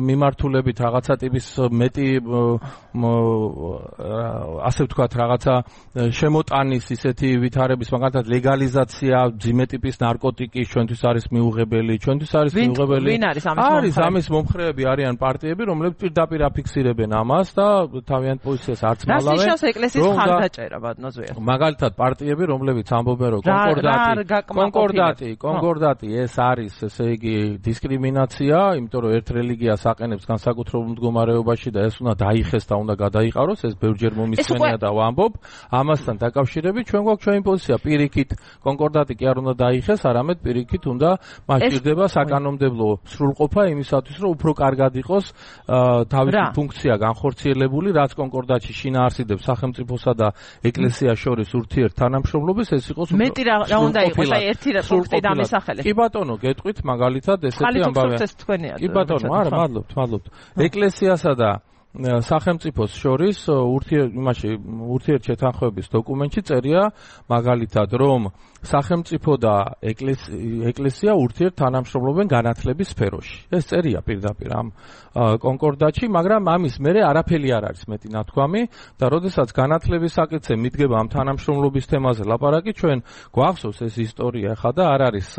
მიმართულებით რაღაცა ტიპის მეტი ასე ვთქვათ რაღაცა შემოტანის ისეთი ვითარების მაგალითად ლეგალიზაცია ძიმე ტიპის ნარკოტიკის ჩვენთვის არის მიუღებელი ჩვენთვის არის მიუღებელი არის ამის მომხრეები არიან პარტიები რომლებიც პირდაპირ აფიქსირებენ ამას და თავიანთ პოზიციას არც მალავენ რას ეკლესიის ხარდაჭერა ბატონო მაგალითად პარტიები რომლებიც ამბობენ რომ კონკორდატი, კონკორდატი ეს არის, ესე იგი, დისკრიმინაცია, იმიტომ რომ ერთ რელიგიას აყენებს განსაკუთრებულ მდგომარეობაში და ეს უნდა დაიხეს და უნდა გადაიყაროს, ეს ბევრჯერ მომისმენია და ვამბობ, ამასთან დაკავშირებით ჩვენ გვაქვს ჩვენი პოზიცია, პირიქით კონკორდატი კი არ უნდა დაიხეს, არამედ პირიქით უნდა მასჭირდება საკანონმდებლო სრულყოფა იმისათვის, რომ უფრო კარგად იყოს თავისი ფუნქცია განხორციელებული, რაც კონკორდატში შინაარსიდებს სახელმწიფოსა და ეკლესიას შორის ურთიერთთანამშრომლობას, ეს იყოს მეტი რა უნდა იყოს აი ერთი პუნქტი დამისახელე. კი ბატონო, გეტყვით მაგალითად ესეთი ამბავია. კი ბატონო, არა, მადლობთ, მადლობთ. ეკლესიასა და სახელმწიფოს შორის ურთიერთმაში ურთიერთშეთანხმების დოკუმენტში წერია მაგალითად რომ სახელმწიფო და ეკლესია ურთიერთთანამშრომლობენ განათლების სფეროში. ეს წერია პირდაპირ ამ კონკორდატში, მაგრამ ამის მერე არაფერი არ არის მეტი ნათქვამი და როდესაც განათლების საკითხზე მიდგება ამ თანამშრომლობის თემაზე ლაპარაკი, ჩვენ გვახსოვს ეს ისტორია ხა და არ არის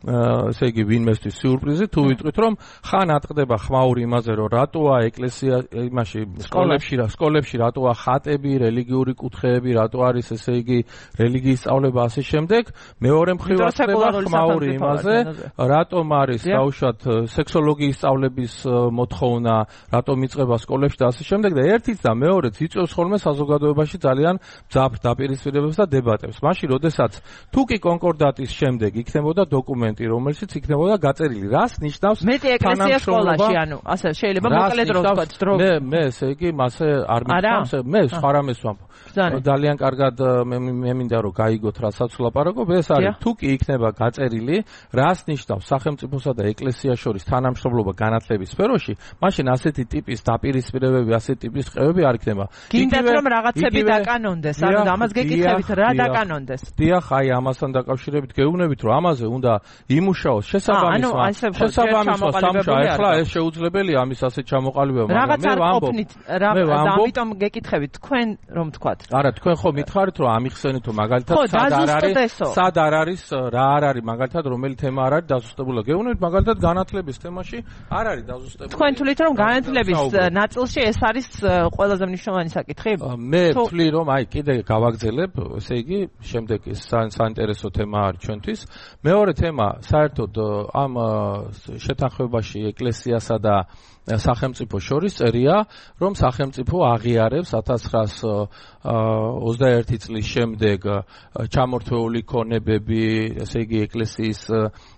ესე იგი ვინმესთვის სიურპრიზი თუ ვიტყვით რომ ხან ატყდება ხმაური იმაზე რომ რატოა ეკლესია იმაში სკოლებში რა სკოლებში რატოა ხატები რელიგიური კუთხეები რატო არის ესე იგი რელიგიის სწავლება ასე შემდეგ მეორე მხრივ ატყდება ხმაური იმაზე რატომ არის დაუშვათ სექსოლოგიის სწავლების მოთხოვნა რატომ იწყება სკოლებში და ასე შემდეგ და ერთიც და მეორეც იწვევს ხოლმე საზოგადოებაში ძალიან მძაფრ დაპირისპირებებს და დებატებს მაშინ როდესაც თუ კი კონკორდატის შემდეგ იქნებოდა დოკუმენტი რომელშიც იქნებოდა გაწერილი რას ნიშნავს მეტი ეკლესია სკოლაში ანუ ასე შეიძლება მოკლედ რო ვთქვათ დრო მე მე ესე იგი მასე არ მithავს მე სხვა რამეს ვამბობ ძალიან კარგად მე მინდა რომ გაიგოთ რასაც ვლაპარაკობ ეს არის თუ კი იქნება გაწერილი რას ნიშნავს სახელმწიფოსა და ეკლესიას შორის თანამშრომლობა განათლების სფეროში მაშინ ასეთი ტიპის დაპირისპირებები ასეთი ტიპის ყევები არ იქნება გინდათ რომ რაღაცები დაკანონდეს ანუ ამას გეკითხებით რა დაკანონდეს დიახ აი ამასთან დაკავშირებით გეუბნებით რომ ამაზე უნდა იმუშაოს შესაბამისმა შესაბამისმა სამშა ახლა ეს შეუძლებელია ამის ასეთ ჩამოყალიბება მაგრამ მე ვამბობ მე ვამბობ ამიტომ გეკითხებით თქვენ რომ თქვათ არა თქვენ ხო მითხარით რომ ამიხსენით რომ მაგალითად სად არ არის სად არ არის რა არ არის მაგალითად რომელი თემა არ არის დაზუსტებული გეუბნებით მაგალითად განათლების თემაში არ არის დაზუსტებული თქვენ თვლით რომ განათლების ნაწილში ეს არის ყველაზე მნიშვნელოვანი საკითხი მე ვთვლი რომ აი კიდე გავაგზელებ ესე იგი შემდეგ ეს საინტერესო თემა არის ჩვენთვის მეორე თემა პრობლემა საერთოდ ამ შეთანხმებაში ეკლესიასა და სახელმწიფო შორის წერია, რომ სახელმწიფო აღიარებს ათას ცხრაასი ოცდაერთი წლის შემდეგ ჩამორთვეული ქონებები, ესე იგი ეკლესიის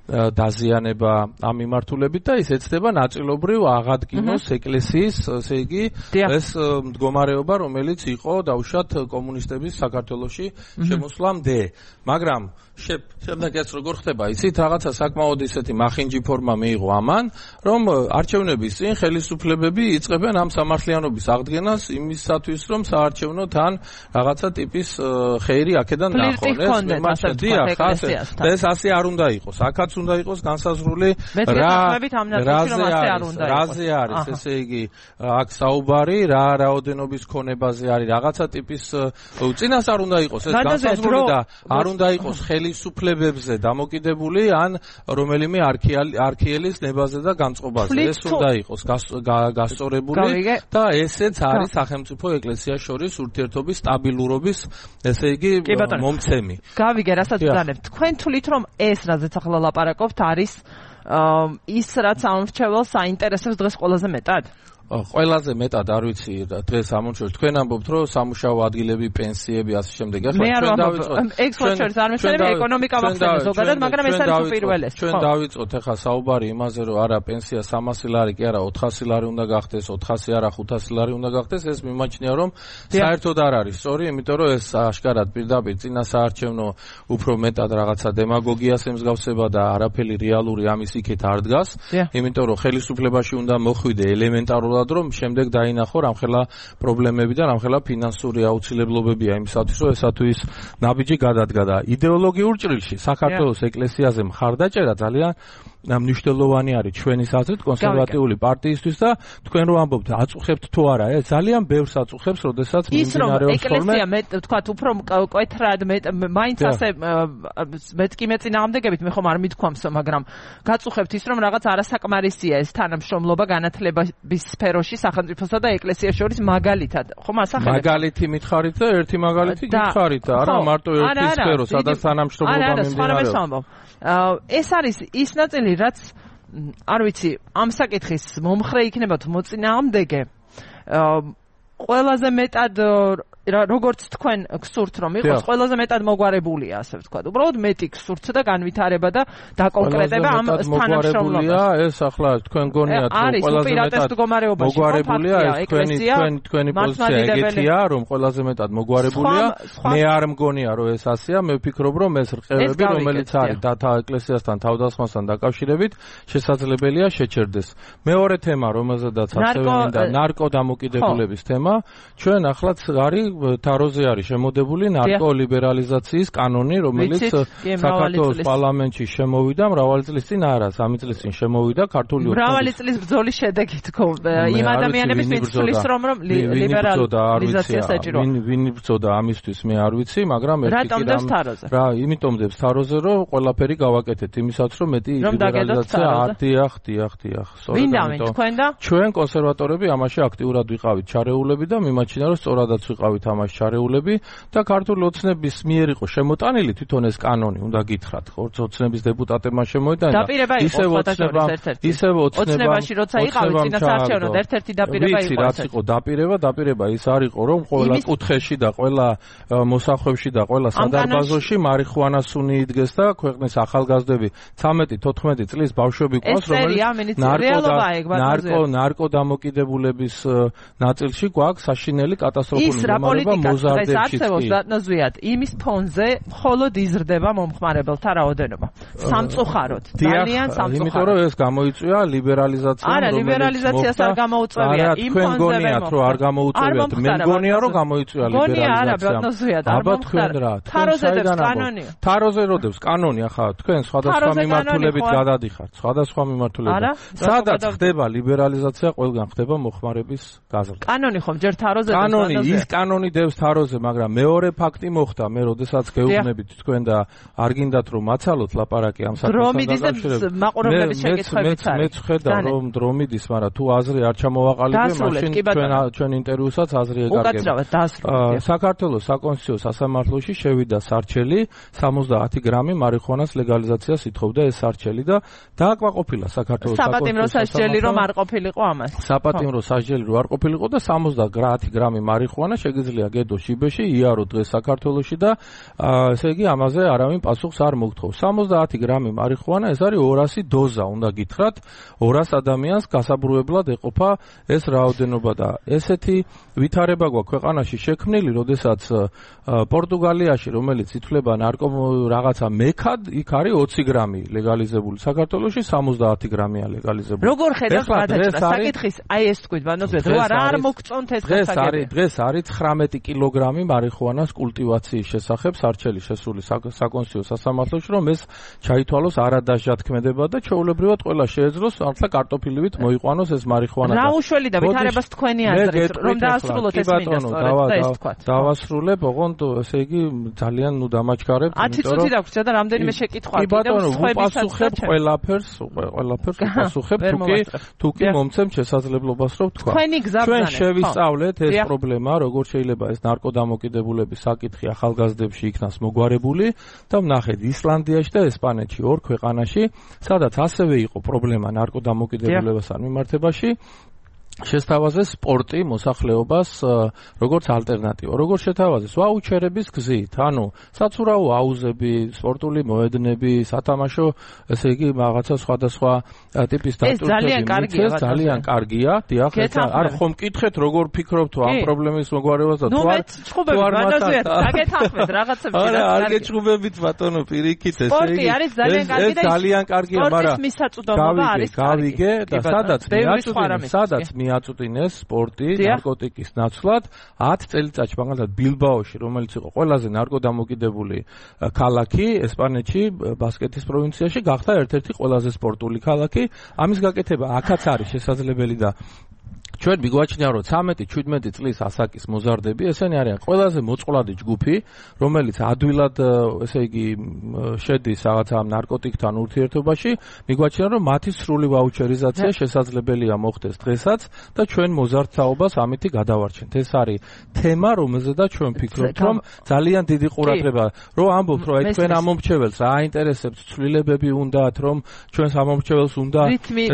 დაზიანება ამ მიმართულებით და ის ეცდება ნაწილობრივ აღადგინოს ეკლესიის, ესე იგი ეს მდგომარეობა, რომელიც იყო დაუშვათ კომუნისტების საქართველოში შემოსვლამდე. მაგრამ შემდეგ ეს როგორ ხდება? იცით, რაღაცა საკმაოდ ისეთი მახინჯი ფორმა მიიღო ამან, რომ არჩევნების წინ ხელისუფლებები იწყებენ ამ სამართლიანობის აღდგენას იმისათვის, რომ საარჩევნო თან რაღაცა ტიპის ხეირი აქედან ნახონ. ეს ასე არ უნდა იყოს. აქაც უნდა იყოს განსაზღვრული რაზე არის, ესე იგი, აქ საუბარი, რა რაოდენობის ქონებაზე არის, რაღაცა ტიპის წინას არ უნდა იყოს ეს განსაზღვრული და არ უნდა იყოს ხელისუფლებებზე დამოკიდებული ან რომელიმე არქიელის ნებაზე და განწყობაზე. ეს უნდა იყოს გასწორებული და ესეც არის სახელმწიფო ეკლესიას შორის ურთიერთობის სტაბილურობის, ესე იგი, მომცემი. გავიგე, რასაც ვძანებ. თქვენ თვლით, რომ ეს, რაზეც ახლა ლაპარაკობთ, არის ის, რაც ამორჩეველს აინტერესებს დღეს ყველაზე მეტად? ყველაზე მეტად არ ვიცი დღეს ამორჩევს. თქვენ ამბობთ, რომ სამუშაო ადგილები, პენსიები, ასე შემდეგ. ახლა ჩვენ დავიწყოთ ექსპორტერს არ მეშლება ეკონომიკა ვახსენე ზოგადად, მაგრამ ეს არის უპირველეს. ჩვენ დავიწყოთ ახლა საუბარი იმაზე, რომ არა პენსია სამასი ლარი კი არა ოთხასი ლარი უნდა გახდეს, ოთხასი არა ხუთასი ლარი უნდა გახდეს. ეს მიმაჩნია, რომ საერთოდ არ არის სწორი, იმიტომ რომ ეს აშკარად პირდაპირ წინა საარჩევნო უფრო მეტად რაღაცა დემაგოგიას ემსგავსება და არაფერი რეალური ამის იქით არ დგას. იმიტომ რომ ხელისუფლებაში უნდა მოხვიდე ელემენტარულად რომ შემდეგ დაინახო რამხელა პრობლემები და რამხელა ფინანსური აუცილებლობებია იმისათვის, რომ ესა თუ ის ნაბიჯი გადადგა და იდეოლოგიურ ჭრილში საქართველოს ეკლესიაზე მხარდაჭერა ძალიან მნიშვნელოვანი არის ჩვენი აზრით კონსერვატიული პარტიისთვის და თქვენ რო ამბობთ აწუხებთ თუ არა, ეს ძალიან ბევრს აწუხებს, როდესაც მიმდინარეობს ხოლმე. ეკლესია მე თქვათ უფრო მკვეთრად მაინც ასე მეც კი მეწინააღმდეგებით მე ხომ არ მithქვამსო, მაგრამ გაწუხებთ ის რომ რაღაც არასაკმარისია ეს თანამშრომლობა განათლების სფეროში სახელმწიფოსა და ეკლესიას შორის მაგალითად. ხომ ასახელებ? მაგალითი მითხარით და ერთი მაგალითი გითხარით, არა მარტო ერთი სფერო, სადაც თანამშრომლობა მიმდინარეობს. ეს არის ის ნაწილი, რაც არ ვიცი, ამ საკითხის მომხრე იქნება თუ მოწინააღმდეგე, ყველაზე მეტად როგორც თქვენ გსურთ რომ იყოს, ყველაზე მეტად მოგვარებულია, ასე ვთქვათ. უბრალოდ მეტი გსურთ და განვითარება და დაკონკრეტება ამ თანამშრომლობას. ეს ახლა თქვენ გონიათ რომ ყველაზე მეტად მოგვარებულია, ეს თქვენი თქვენი თქვენი პოზიცია ეგეთია, რომ ყველაზე მეტად მოგვარებულია. მე არ მგონია რომ ეს ასეა, მე ვფიქრობ რომ ეს რყევები, რომელიც არის დათა ეკლესიასთან თავდასხმასთან დაკავშირებით, შესაძლებელია შეჩერდეს. მეორე თემა, რომელზედაც ასევე მინდა ნარკო დამოკიდებულების თემა, ჩვენ ახლაც არის თაროზე არის შემოდებული ნარკოლიბერალიზაციის კანონი, რომელიც საქართველოს პარლამენტში შემოვიდა მრავალი წლის წინ, არა, სამი წლის წინ შემოვიდა ქართული მრავალი წლის ბრძოლის შედეგი თქო იმ ადამიანების მიცვლის რომ ლიბერალიზაცია საჭიროა. ვინ იბრძოდა ამისთვის მე არ ვიცი, მაგრამ ერთი რა, იმიტომ დებს თაროზე რომ ყველაფერი გავაკეთეთ იმისაც რომ მეტი ლიბერალიზაცია არტიახ, დიახ, დიახ. ვინ დავინ თქვენ და ჩვენ კონსერვატორები ამაში აქტიურად ვიყავით ჩარეულები და მიმაჩნია რომ სწორადაც ვიყავით ამას ჩარეულები და ქართული ოცნების მიერ იყო შემოტანილი თვითონ ეს კანონი, უნდა გითხრათ, ხო, ოცნების დეპუტატებმა შემოიტანა. ისევ ოცნება, ისევ ოცნებაში როცა იყავით წინასაარჩევნო ერთ-ერთი დაპირება იყო. ვიცი, რაც იყო დაპირება, დაპირება ის არ იყო, რომ ყველა კუთხეში და ყველა მოსახვევში და ყველა სადარბაზოში მარიხუანასუნი იდგეს და ქვეყნის ახალგაზრდები ცამეტი თოთხმეტი წლის ბავშვები ყავს, რომელიც ნარკო ნარკო დამოკიდებულების ნაწილში გვაქვს საშინელი კატასტროფული მდგომარეობა მოზარდებში. ზუსტად იმის ფონზე მხოლოდ იზრდება მომხმარებელთა რაოდენობა. სამწუხაროდ, ძალიან სამწუხაროდ. იმიტომ რომ ეს გამოიწვია ლიბერალიზაციამ, არა, ლიბერალიზაციას არ გამოუწევია. იმ ფონზე გონიათ რომ არ გამოუწევიათ, მე მგონია რომ გამოიწვია ლიბერალიზაციამ. გონია არა, ბატონზეა, არ მომხდარა. თაროზე დებს კანონი. თაროზე როდებს კანონი, ახლა თქვენ სხვადასხვა მიმართულებით გადადიხართ, სხვადასხვა მიმართულებით. სადაც ხდება ლიბერალიზაცია, ყველგან ხდება მოხმარების გაზრდა. კანონი ხომ ჯერ თაროზე კანონი, ის კანონი კანონი დევს თაროზე, მაგრამ მეორე ფაქტი მოხდა, მე როდესაც გეუბნებით თქვენ და არ გინდათ რომ მაცალოთ ლაპარაკი ამ საკითხთან დაკავშირებით. მაყურებლების შეკითხვებიც არის. მეც ხედავ რომ დრომიდის, მაგრამ თუ აზრი არ ჩამოვაყალიბე, მაშინ ჩვენ ჩვენ ინტერვიუსაც აზრი ეკარგება. უკაცრავად დაასრულეთ. საქართველოს საკონსტიტუციო სასამართლოში შევიდა სარჩელი სამოცდაათი გრამი მარიხუანას ლეგალიზაციას ითხოვდა ეს სარჩელი და დააკმაყოფილა საქართველოს საკონსტიტუციო სასჯელი რომ არ ყოფილიყო ამას. საპატიმრო სასჯელი რომ არ ყოფილიყო და სამოცდაათი გრამი მარიხუანა შეგიძლია გედო შიბეში იარო დღეს საქართველოში და ესე იგი ამაზე არავინ პასუხს არ მოგთხოვს. სამოცდაათი გრამი მარიხუანა ეს არის ორასი დოზა, უნდა გითხრათ, ორას ადამიანს გასაბრუებლად ეყოფა ეს რაოდენობა და ესეთი ვითარება გვაქვს ქვეყანაში შექმნილი, როდესაც პორტუგალიაში, რომელიც ითვლება ნარკო რაღაცა მექად, იქ არის ოცი გრამი ლეგალიზებული, საქართველოში სამოცდაათი გრამია ლეგალიზებული. როგორ ხედავთ გადაჭრას საკითხის? აი ეს თქვით, ბანოძე, რო არ მოგწონთ ეს გასაგები. დღეს არის ცხრამეტი კილოგრამი მარიხუანას კულტივაციის შესახებ სარჩელი შესული საკონსტიტუციო სასამართლოში, რომ ეს ჩაითვალოს არადასჯათქმედება და ჩვეულებრივად ყველა შეეძლოს ახლა კარტოფილივით მოიყვანოს ეს მარიხუანა. რა უშველი და ვითარებას თქვენი აზრით, რომ დაასრულოთ ეს მინდასტორეთ და ეს თქვათ. დავასრულებ, ოღონდ ესე იგი ძალიან ნუ დამაჩქარებ, ათი წუთი დაგვჭირდა და რამდენიმე შეკითხვა კიდევ ვუპასუხებ ყველაფერს, ყველაფერს ვუპასუხებ, თუკი თუკი მომცემ შესაძლებლობას რომ თქვა. თქვენი გზა ჩვენ შევისწავლეთ ეს პრობლემა, როგორ შეიძლება ეს ნარკოდამოკიდებულების საკითხი ახალგაზრდებში იქნას მოგვარებული და ვნახეთ ისლანდიაში და ესპანეთში ორ ქვეყანაში, სადაც ასევე იყო პრობლემა ნარკოდამოკიდებულებასთან მიმართებაში. შესთავაზე სპორტი მოსახლეობას როგორც ალტერნატივა. როგორ შეთავაზეს? ვაუჩერების გზით, ანუ საცურაო აუზები, სპორტული მოედნები, სათამაშო, ესე იგი რაღაცა სხვადასხვა ტიპის დატვირთვები. ეს ძალიან კარგია, ძალიან კარგია. დიახ, არ ხომ მკითხეთ, როგორ ფიქრობთ თუ ამ პრობლემის მოგვარებას და თუ არ თუ არ მათაც დაგეთანხმეთ რაღაცები. არა, არ გეჭუბებით ბატონო, პირიქით, ესე იგი. სპორტი არის ძალიან კარგი და ძალიან კარგია, მაგრამ სპორტის მისაწვდომობა არის კარგი. გავიგე და სადაც მიაწვდინეს, სადაც მიაწვდინეს სპორტი ნარკოტიკის ნაცვლად ათი წელიწადში, მაგალითად ბილბაოში, რომელიც იყო ყველაზე ნარკოდამოკიდებული ქალაქი ესპანეთში, ბასკეთის პროვინციაში, გახდა ერთ-ერთი ყველაზე სპორტული ქალაქი. ამის გაკეთება აქაც არის შესაძლებელი და ჩვენ მიგვაჩნია, რომ ცამეტი ჩვიდმეტი წლის ასაკის მოზარდები, ესენი არიან ყველაზე მოწყვლადი ჯგუფი, რომელიც ადვილად, ესე იგი, შედის რაღაცა ნარკოტიკთან ურთიერთობაში. მიგვაჩნია, რომ მათი სრული ვაუჩერიზაცია შესაძლებელია მოხდეს დღესაც და ჩვენ მოზარდთაობას ამითი გადავარჩენთ. ეს არის თემა, რომელზედაც ჩვენ ვფიქრობთ, რომ ძალიან დიდი ყურადღება, რომ ამბობთ, რომ აი თქვენ ამომრჩეველს რა აინტერესებს, ცვლილებები უნდათ, რომ ჩვენს ამომრჩეველს უნდა,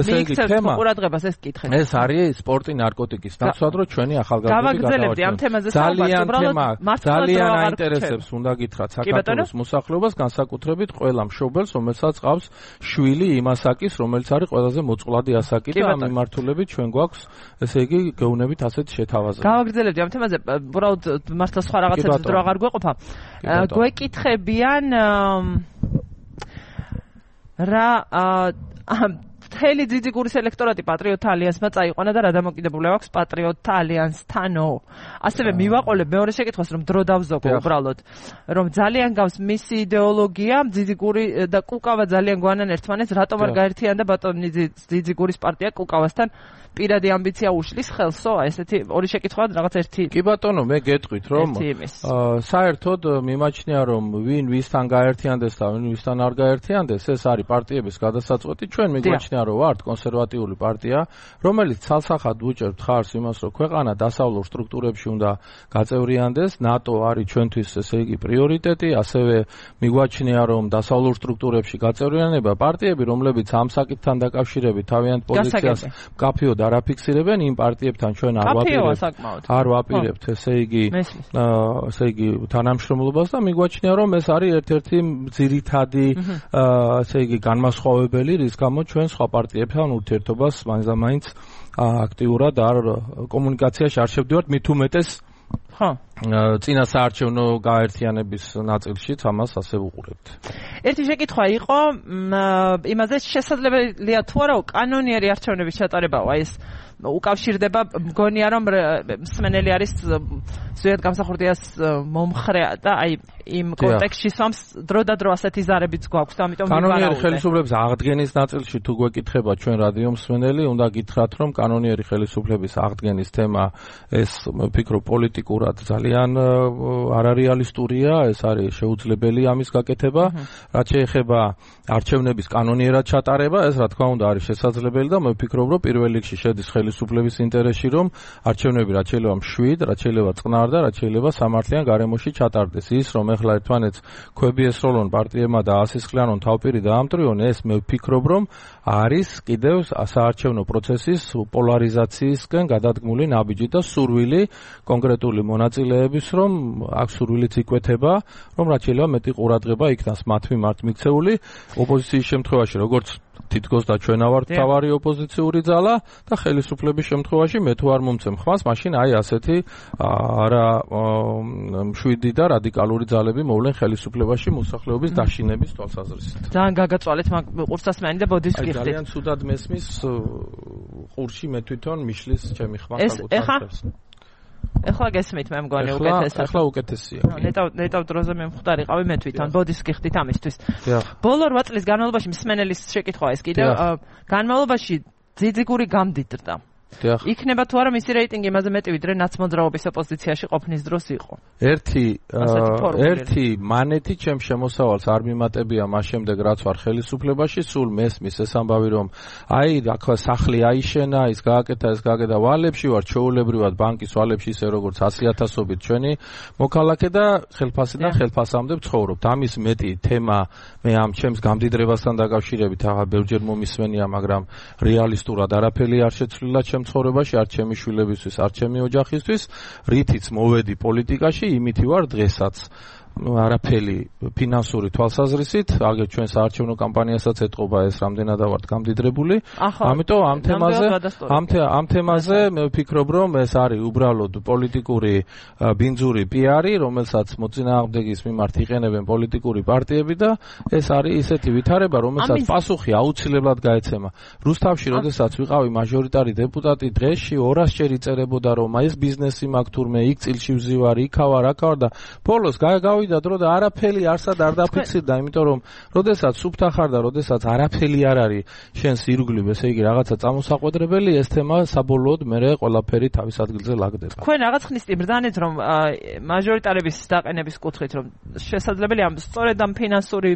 ესე იგი, თემა. ყურადღებას ეს კითხეთ. ეს არის სპორტი ნარკოტიკის ნაცვლად, რომ ჩვენი ახალგაზრდები გადავარჩენთ. ძალიან თემა, ძალიან აინტერესებს, უნდა გითხრათ, საქართველოს მოსახლეობას, განსაკუთრებით ყველა მშობელს, რომელსაც ყავს შვილი იმ ასაკის, რომელიც არის ყველაზე მოწყვლადი ასაკი და ამ მიმართულებით ჩვენ გვაქვს, ესე იგი, გეუბნებით ასეთ შეთავაზება. გავაგრძელებდი ამ თემაზე, უბრალოდ მართლა სხვა რაღაცებს დრო აღარ გვეყოფა. გვეკითხებიან რა მთელი ძიძიგურის ელექტორატი პატრიოტთა ალიანსმა წაიყვანა და რა დამოკიდებულება აქვს პატრიოტთა ალიანსთანო. ასევე მივაყოლებ მეორე შეკითხვას, რომ დრო დავზოგო უბრალოდ, რომ ძალიან გავს მისი იდეოლოგია, ძიძიგური და კუკავა ძალიან გვანან ერთმანეთს, რატომ არ გაერთიანდა ბატონი ძიძიგურის პარტია კუკავასთან? პირადი ამბიცია უშლის ხელსო? ესეთი ორი შეკითხვა რაღაც ერთი. კი ბატონო, მე გეტყვით, რომ საერთოდ მიმაჩნია, რომ ვინ ვისთან გაერთიანდეს და ვინ ვისთან არ გაერთიანდეს, ეს არის პარტიების გადასაწყვეტი. ჩვენ მიგვაჩნია, რომ ვართ კონსერვატიული პარტია, რომელიც ცალსახად უჭერთ ხარს იმას, რომ ქვეყანა დასავლურ სტრუქტურებში უნდა გაწევრიანდეს. ნატო არის ჩვენთვის, ესე იგი, პრიორიტეტი. ასევე მიგვაჩნია, რომ დასავლურ სტრუქტურებში გაწევრიანება პარტიები, რომლებიც ამ საკითხთან დაკავშირებით თავიანთ პოზიციას მკაფიოდ არაფიქსირებენ, იმ პარტიებთან ჩვენ არ ვაპირებთ. არ ვაპირებთ, ესე იგი, ესე იგი, თანამშრომლობას და მიგვაჩნია, რომ ეს არის ერთ-ერთი ძირითადი, ესე იგი, განმასხვავებელი, რის გამო ჩვენ სხვა პარტიებთან ურთიერთობას მაინც აქტიურად არ კომუნიკაციაში არ შევდივართ, მით უმეტეს ხო წინა საარჩევნო გაერთიანების ნაწილშიც ამას ასე ვუყურებთ. ერთი შეკითხვა იყო იმაზე, შესაძლებელია თუ არა კანონიერი არჩევნების ჩატარებაო, აი ეს უკავშირდება, მგონია რომ მსმენელი არის ზუსტად გამსახურდიას მომხრე და აი იმ კონტექსტში სვამს დრო და დრო ასეთი ზარებიც გვაქვს და ამიტომ კანონიერი ხელისუფლების აღდგენის ნაწილში თუ გვეკითხება ჩვენ რადიო მსმენელი, უნდა გითხრათ, რომ კანონიერი ხელისუფლების აღდგენის თემა ეს ვფიქრობ პოლიტიკურ აბსოლუტურად ძალიან არარეალისტურია, ეს არის შეუძლებელი ამის გაკეთება, რაც შეეხება არჩევნების კანონიერად ჩატარება, ეს რა თქმა უნდა არის შესაძლებელი და მე ვფიქრობ, რომ პირველ რიგში შედის ხელისუფლების ინტერესში, რომ არჩევნები რაც შეიძლება მშვიდ, რაც შეიძლება წყნარ და რაც შეიძლება სამართლიან გარემოში ჩატარდეს. ის რომ ეხლა ერთმანეთს ქვები ესროლონ პარტიებმა და ასისხლიანონ თავპირი დაამტრიონ, ეს მე ვფიქრობ, რომ არის კიდევ საარჩევნო პროცესის პოლარიზაციისკენ გადადგმული ნაბიჯი და სურვილი კონკრეტული მონაწილეების, რომ აქ სურვილიც იკვეთება, რომ რაც შეიძლება მეტი ყურადღება იქნას მათ მიმართ მიქცეული ოპოზიციის შემთხვევაში, როგორც თითქოს და ჩვენ ავართ თავარი ოპოზიციური ძალა და ხელისუფლების შემთხვევაში მე თუ არ მომცემ ხმას, მაშინ აი ასეთი არა მშვიდი და რადიკალური ძალები მოვლენ ხელისუფლებაში მოსახლეობის დაშინების თვალსაზრისით. ძალიან გაგაწვალეთ მაგ ყურსასმენი და ბოდის გიხდით. ძალიან ცუდად მესმის ყურში მე თვითონ მიშლის ჩემი ხმა საკუთარ. ეხლა გესმით მე მგონი უკეთესად. ეხლა უკეთესია. ნეტავ ნეტავ დროზე მე მხდარი ყავი მე თვითონ ბოდის გიხდით ამისთვის. ბოლო რვა წლის განმავლობაში მსმენელის შეკითხვა ეს კიდევ განმავლობაში ძიძიგური გამდიდრდა. იქნება თუ არა მისი რეიტინგი იმაზე მეტი ვიდრე ნაცმოძრაობის ოპოზიციაში ყოფნის დროს იყო. ერთი ერთი მანეთი ჩემ შემოსავალს არ მიმატებია მას შემდეგ რაც ვარ ხელისუფლებაში, სულ მესმის ეს ამბავი რომ აი ახლა სახლი აიშენა, ის გააკეთა, ეს გააკეთა ვალებში ვარ, ჩვეულებრივად ბანკის ვალებში ისე როგორც ასი ათასობით ჩვენი მოქალაქე და ხელფასიდან ხელფასამდე ვცხოვრობთ. ამის მეტი თემა მე ამ ჩემს გამდიდრებასთან დაკავშირებით ახლა ბევრჯერ მომისმენია, მაგრამ რეალისტურად არაფერი არ შეცვლილა ჩემ ცხოვრებაში, არ ჩემი შვილებისთვის, არ ჩემი ოჯახისთვის, რითიც მოვედი პოლიტიკაში, იმითი ვარ დღესაც. არაფერი ფინანსური თვალსაზრისით, აგერ ჩვენ საარჩევნო კამპანიასაც ეტყობა ეს რამდენად ვართ გამდიდრებული. ამიტომ ამ თემაზე ამ ამ თემაზე მე ვფიქრობ, რომ ეს არის უბრალოდ პოლიტიკური ბინძური პიარი, რომელსაც მოწინააღმდეგის მიმართ იყენებენ პოლიტიკური პარტიები და ეს არის ისეთი ვითარება, რომელსაც პასუხი აუცილებლად გაეცემა. რუსთავში, როდესაც ვიყავი მაჟორიტარი დეპუტატი, დღეში ორასჯერ იწერებოდა, რომ ეს ბიზნესი მაქვს თურმე, იქ წილში ვზივარ, იქავარ, აქავარ და ბოლოს გაიგავ და დრო და არაფერი არსად არ დაფიქსირდა, იმიტომ რომ როდესაც სუფთა ხარ და როდესაც არაფერი არ არის შენს ირგვლივ, ესე იგი რაღაცა წამოსაყვედრებელი, ეს თემა საბოლოოდ მერე ყველაფერი თავის ადგილზე ლაგდება. თქვენ რაღაც ხნის წინ ბრძანეთ, რომ მაჟორიტარების დაყენების კუთხით, რომ შესაძლებელია სწორედ ამ ფინანსური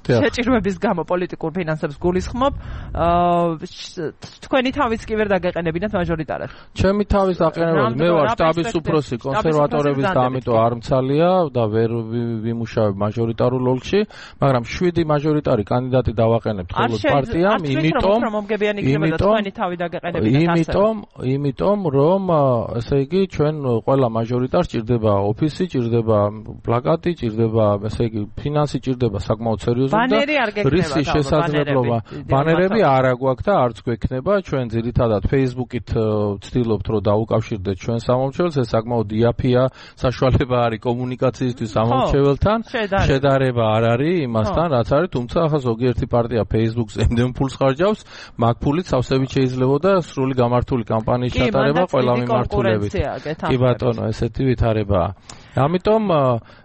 შეჭირვების გამო პოლიტიკურ ფინანსებს გულისხმობ, თქვენი თავიც კი ვერ დაგეყენებინათ მაჟორიტარად. ჩემი თავის დაყენებები, მე ვარ შტაბის უფროსი კონსერვატორების და ამიტომ არ მცალია და ვერ ვიმუშავებ მაჟორიტარულ ოლქში, მაგრამ შვიდი მაჟორიტარი კანდიდატი დავაყენებთ ხოლმე პარტიამ, იმიტომ იმიტომ იმიტომ რომ ესე იგი ჩვენ ყველა მაჟორიტარს ჭირდება ოფისი, ჭირდება პლაკატი, ჭირდება ესე იგი ფინანსი, ჭირდება საკმაოდ სერიოზული და რისი შესაძლებლობა. ბანერები არ აგვაქვს და არც გვექნება, ჩვენ ძირითადად Facebook-ით ვცდილობთ რომ დაუკავშირდეთ ჩვენ სამომრჩეველს, ეს საკმაოდ იაფია საშუალება არის კომუნიკაციისთვის ამომრჩეველთან, შედარება არ არის იმასთან, რაც არის, თუმცა ახლა ზოგიერთი პარტია Facebook-ზე იმდენ ფულს ხარჯავს, მაგ ფულით სავსებით შეიძლებოდა სრული გამართული კამპანიის ჩატარება ყველა მიმართულებით. კი ბატონო, ესეთი ვითარებაა. ამიტომ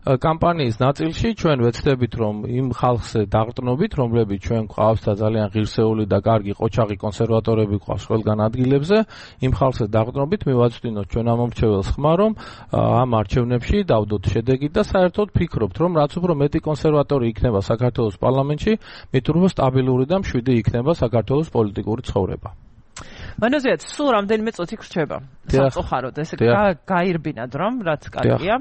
კამპანიის ნაწილში ჩვენ ვეცდებით, რომ იმ ხალხზე დაყრდნობით, რომლებიც ჩვენ გვყავს და ძალიან ღირსეული და კარგი ყოჩაღი კონსერვატორები გვყავს ყველგან ადგილებზე, იმ ხალხზე დაყრდნობით მივაწვდინოთ ჩვენ ამომრჩეველს ხმა, რომ ამ არჩევნებში დავდოთ შედეგით და საერთოდ ფიქრობთ, რომ რაც უფრო მეტი კონსერვატორი იქნება საქართველოს პარლამენტში, მით უფრო სტაბილური და მშვიდი იქნება საქართველოს პოლიტიკური ცხოვრება. მანოზეც სულ რამდენიმე წუთი გრჩება. სამწუხაროდ ესე გაირბინად რომ რაც კარგია.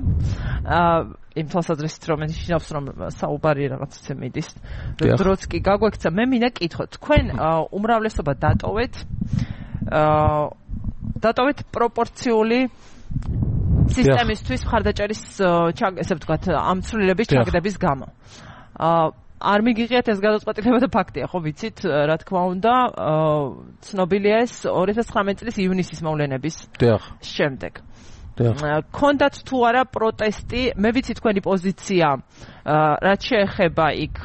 აა იმ თვალსაზრისით რომ ნიშნავს რომ საუბარი რაღაცა მიდის. დროც კი გაგვექცა, მე მინდა კითხოთ, თქვენ უმრავლესობა დატოვეთ აა დატოვეთ პროპორციული სისტემისთვის მხარდაჭერის ესე ვთქვათ ამ ცვლილების ჩაგდების გამო. აა არ მიგიღიათ ეს გადაწყვეტილება და ფაქტია, ხო ვიცით, რა თქმა უნდა, ცნობილია ეს ორი ათას ცხრამეტი წლის ივნისის მოვლენების შემდეგ. კონდათ თუ არა პროტესტი, მე ვიცი თქვენი პოზიცია, რაც შეეხება იქ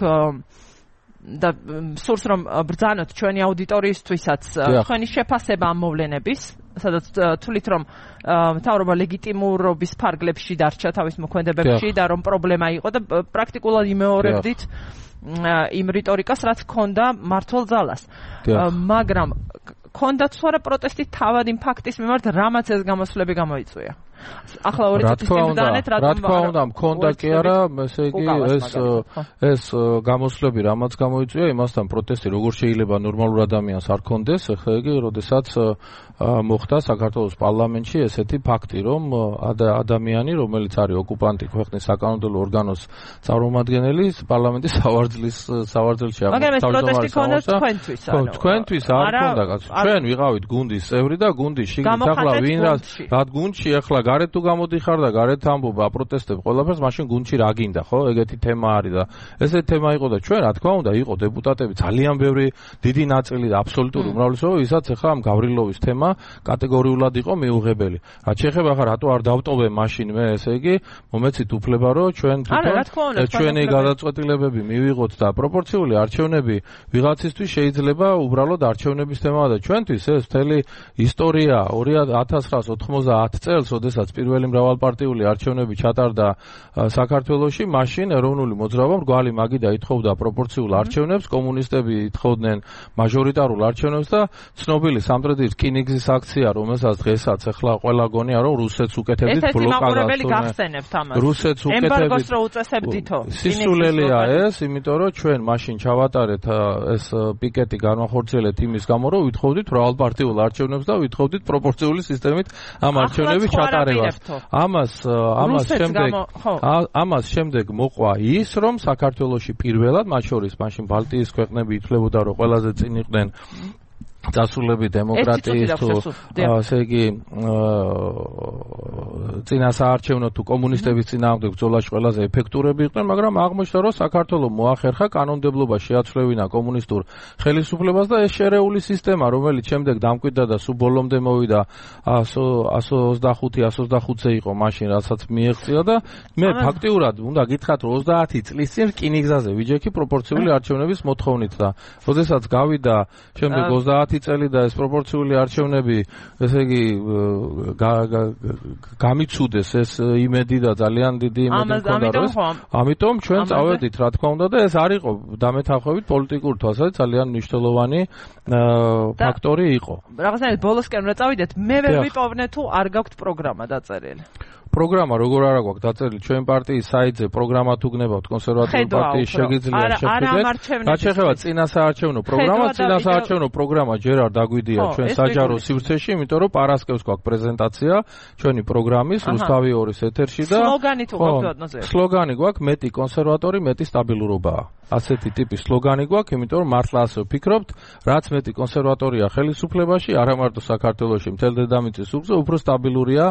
და სურს რომ ბრძანოთ ჩვენი აუდიტორიისთვისაც თქვენი შეფასება ამ მოვლენების, სადაც თვლით რომ მთავრობა ლეგიტიმურობის ფარგლებში დარჩა თავის მოქმედებებში და რომ პრობლემა იყო და პრაქტიკულად იმეორებდით იმ რიტორიკას, რაც ჰქონდა მმართველ ძალას. მაგრამ ჰქონდა თუ არა პროტესტი თავად იმ ფაქტის მიმართ, რამაც ეს გამოსვლები გამოიწვია. ახლა ორი წუთის წინ დანეთ რა თქმა უნდა მქონდა კი არა ესე იგი ეს ეს გამოსვლები რამაც გამოიწვია იმასთან პროტესტი როგორ შეიძლება ნორმალურ ადამიანს არ კონდეს ხა იგი როდესაც მოხდა საქართველოს პარლამენტში ესეთი ფაქტი რომ ადამიანი რომელიც არის ოკუპანტი ქვეყნის საკანონმდებლო ორგანოს წარმომადგენელი პარლამენტის სავარძლის სავარძელში აღმოჩნდა თქვენთვის ანუ თქვენთვის არ ქონდა კაცო ჩვენ ვიყავით გუნდის წევრი და გუნდის შიგნით ახლა ვინ რა გუნდში ახლა გარეთ თუ გამოდიხარ და გარეთ ამბობ აპროტესტებ ყველაფერს მაშინ გუნდში რა გინდა ხო ეგეთი თემა არის და ესეთი თემა იყო და ჩვენ რა თქმა უნდა იყო დეპუტატები ძალიან ბევრი დიდი ნაწილი და აბსოლუტური უმრავლესობა ვისაც ახლა ამ გავრილოვის თემა კატეგორიულად იყო მიუღებელი რაც შეეხება ახლა რატო არ დავტოვე მაშინ მე ესე იგი მომეცით უფლება რომ ჩვენ თვითონ ჩვენი გადაწყვეტილებები მივიღოთ და პროპორციული არჩევნები ვიღაცისთვის შეიძლება უბრალოდ არჩევნების თემაა და ჩვენთვის ეს მთელი ისტორია ორი ათას ცხრაას ოთხმოცდაათ წელს როდესაც პირველი მრავალპარტიული არჩევნები ჩატარდა საქართველოში მაშინ ეროვნული მოძრაობა მრგვალი მაგიდა ითხოვდა პროპორციულ არჩევნებს კომუნისტები ითხოვდნენ მაჟორიტარულ არჩევნებს და ცნობილი სამტრედიის რკინიგზის აქცია რომელსაც დღესაც ახლა ყველა გონია რომ რუსეთს უკეთებდით ბლოკადას რუსეთს უკეთებდით ემბარგოს რო უწესებდითო სისულელია ეს იმიტომ რომ ჩვენ მაშინ ჩავატარეთ ეს პიკეტი განვახორციელეთ იმის გამო რომ ვითხოვდით მრავალპარტიულ არჩევნებს და ვითხოვდით პროპორციული სისტემით ამ არჩევნების ჩატარებას ამას ამას შემდეგ ამას შემდეგ მოყვა ის რომ საქართველოში პირველად მათ შორის მაშინ ბალტიის ქვეყნები ითვლებოდა რომ ყველაზე წინ იყვნენ დასრულები დემოკრატიის თუ ასე იგი წინასაარჩევნო თუ კომუნისტების წინააღმდეგ ბრძოლაში ყველაზე ეფექტურები იყვნენ, მაგრამ აღმოჩნდა რომ საქართველოს მოახერხა კანონმდებლობა შეაცვლევინა კომუნისტურ ხელისუფლებას და ეს შერეული სისტემა, რომელიც შემდეგ დამკვიდრდა და სულ ბოლომდე მოვიდა εκατს ოცდახუთი εκατს ოცდახუთზე იყო მაშინ, რასაც მიეღწია და მე ფაქტიურად უნდა გითხრათ რომ ოცდაათი წლის წინ რკინიგზაზე ვიჯექი პროპორციული არჩევნების მოთხოვნით და როდესაც გავიდა შემდეგ ოცდაათი წელი და ეს პროპორციული არჩევნები, ესე იგი გამიცუდეს ეს იმედი და ძალიან დიდი იმედი მქონდა რომ ამიტომ ჩვენ წავედით რა თქმა უნდა და ეს არ იყო დამეთანხმებით პოლიტიკურ თვალსაზრისით ძალიან მნიშვნელოვანი ფაქტორი იყო. რაღაცნაირად ბოლოსკენ რა წავიდეთ, მე ვერ ვიპოვნე თუ არ გაქვთ პროგრამა დაწერილი. პროგრამა როგორ არა გვაქვს დაწერილი ჩვენ პარტიის საიტზე პროგრამა თუ გნებავთ კონსერვატიული პარტიის შეგიძლია შეხვიდეთ. რაც შეეხება წინასაარჩევნო პროგრამა, წინასაარჩევნო პროგრამა ჯერ არ დაგვიდია ჩვენ საჯარო სივრცეში, იმიტომ რომ პარასკევს გვაქვს პრეზენტაცია ჩვენი პროგრამის რუსთავი ორის ეთერში და სლოგანი თუ გვაქვს სლოგანი გვაქვს მეტი კონსერვატორი, მეტი სტაბილურობაა. ასეთი ტიპის სლოგანი გვაქვს, იმიტომ რომ მართლა ასე ვფიქრობთ, რაც მეტი კონსერვატორია ხელისუფლებაში, არა მარტო საქართველოში, მთელ დედამიწის უბრძო, უფრო სტაბილურია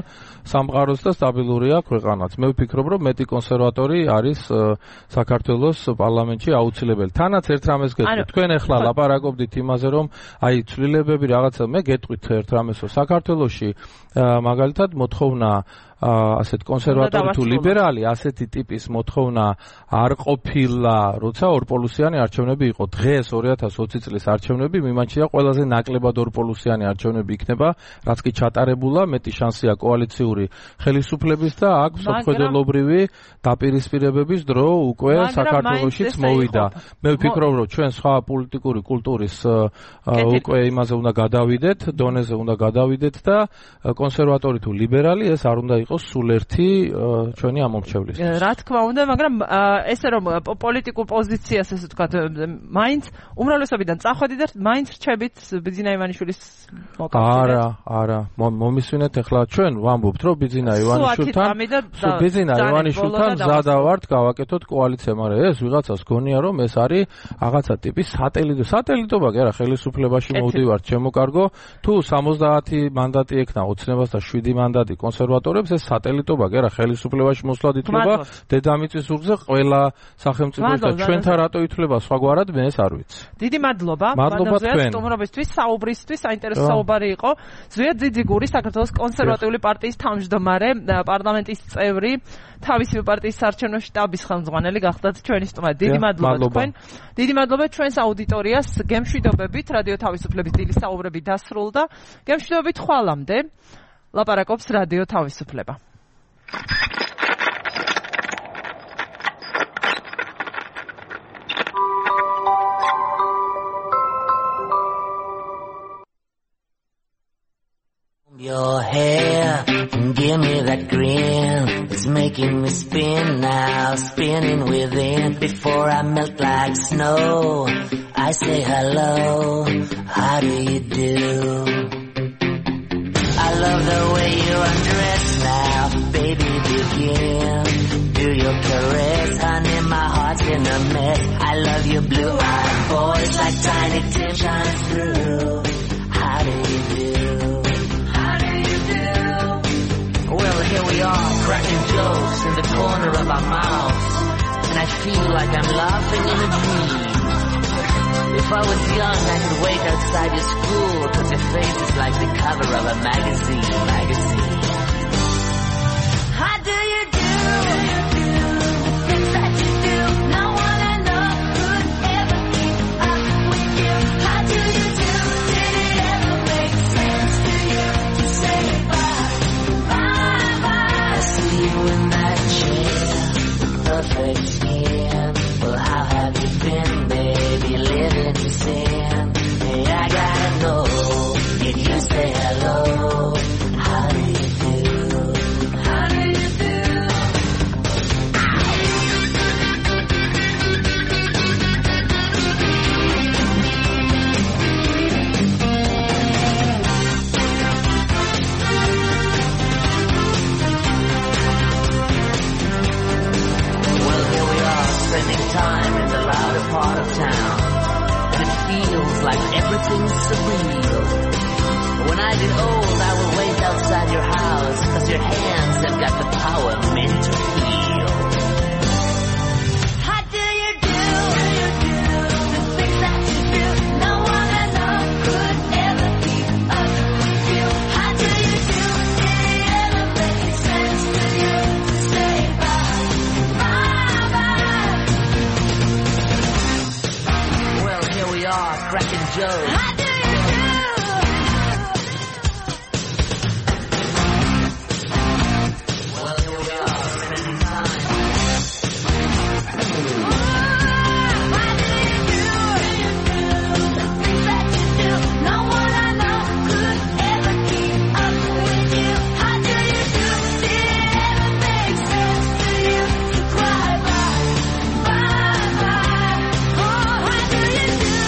სამყაროც და სტაბილურია ქვეყანაც. მე ვფიქრობ, რომ მეტი კონსერვატორი არის საქართველოს პარლამენტში აუცილებელი. თანაც ერთ რამეს გეტყვით, თქვენ ახლა ლაპარაკობდით იმაზე, რომ აი ცვლილებები რაღაცა, მე გეტყვით ერთ რამესო, საქართველოში მაგალითად მოთხოვნა ასეთ კონსერვატორი თუ ლიბერალი ასეთი ტიპის მოთხოვნა არ ყოფილა, როცა ორპოლუსიანი არჩევნები იყო. დღეს ორი ათას ოცი წლის არჩევნები მიმაჩნია ყველაზე ნაკლებად ორპოლუსიანი არჩევნები იქნება, რაც კი ჩატარებულა, მეტი შანსია კოალიციური ხელისუფლების და აქ მსოფლმხედველობრივი დაპირისპირებების დრო უკვე საქართველოშიც მოვიდა. მე ვფიქრობ, რომ ჩვენ სხვა პოლიტიკური კულტურის უკვე იმაზე უნდა გადავიდეთ, დონეზე უნდა გადავიდეთ და კონსერვატორი თუ ლიბერალი ეს არ უნდა იყოს სულ ერთი ჩვენი ამომრჩევლის. რა თქმა უნდა, მაგრამ ესე რომ პოლიტიკურ პოზიციას ესე ვთქვათ, მაინც უმრავლესობიდან წახვედი და მაინც რჩებით ბიძინა ივანიშვილის მოკავშირედ. არა, არა, მომისვენეთ ახლა ჩვენ ვამბობთ, რომ ბიძინა ივანიშვილთან ბიძინა ივანიშვილთან მზადა ვართ გავაკეთოთ კოალიცია, მაგრამ ეს ვიღაცას გონია, რომ ეს არის რაღაცა ტიპის სატელიტო. სატელიტობა კი არა, ხელისუფლებაში მოვდივართ, შემოკარგო, თუ სამოცდაათი მანდატი ექნა ოცნებას და შვიდი მანდატი კონსერვატორებს ეს სატელიტობა კი არა, ხელისუფლებაში მოსვლად ითვლება დედამიწის ზურგზე ყველა სახელმწიფოს და ჩვენთან რატო ითვლება სხვაგვარად, მე ეს არ ვიცი. დიდი მადლობა. მადლობა თქვენ. სტუმრობისთვის, საუბრისთვის, საინტერესო საუბარი იყო. ზვიად ძიძიგური, საქართველოს კონსერვატიული პარტიის თავმჯდომარე, პარლამენტის წევრი, თავისი პარტიის საარჩევნო შტაბის ხელმძღვანელი გახდათ ჩვენი სტუმარი. დიდი მადლობა თქვენ. დიდი მადლობა ჩვენს აუდიტორიას. გემშვიდობებით, რადიო თავისუფლების დილის საუბრები დასრულდა. გემშვიდობებით ხვალამდე. ლაპარაკობს რადიო თავისუფლება. Your hair Give me that grin, it's making me spin now, spinning within. Before I melt like snow, I say hello, how do you do? I love the way you undress now, baby begin. Do your caress, honey, my heart's in a mess. I love your blue-eyed voice like Tiny Tim shines through. How do you do? How do you do? Well, here we are, cracking jokes in the corner of our mouths, and I feel like I'm laughing in a dream. If I was young, I could wait outside your school, cause your face is like the cover of a magazine, magazine. How do you do? The things that you do, no one I know could ever keep up with you. How do you do? Did it ever make sense to you to say bye, bye, bye? I see you in that chair, perfect skin. Well, how have you been, baby? Living in sin. Hey, I gotta know, did you say hello? How do you do? How do you do? Well, here we are, spending time in the louder part of town, and it feels like everything's surreal. When I get old, I will wait outside your house, cause your hands have got the power meant to heal. How do you do? The things that you do, no one I know could ever keep up with you. How do you do? Did it ever make sense to you to say bye, bye, bye? Well, here we are, cracking jokes. How do you do? Well, here we are, spending time. How do you do? The things that you do, no one I know could ever keep up with you. How do you do? Did it ever make sense to you to cry bye, bye, bye? Oh, how do you do?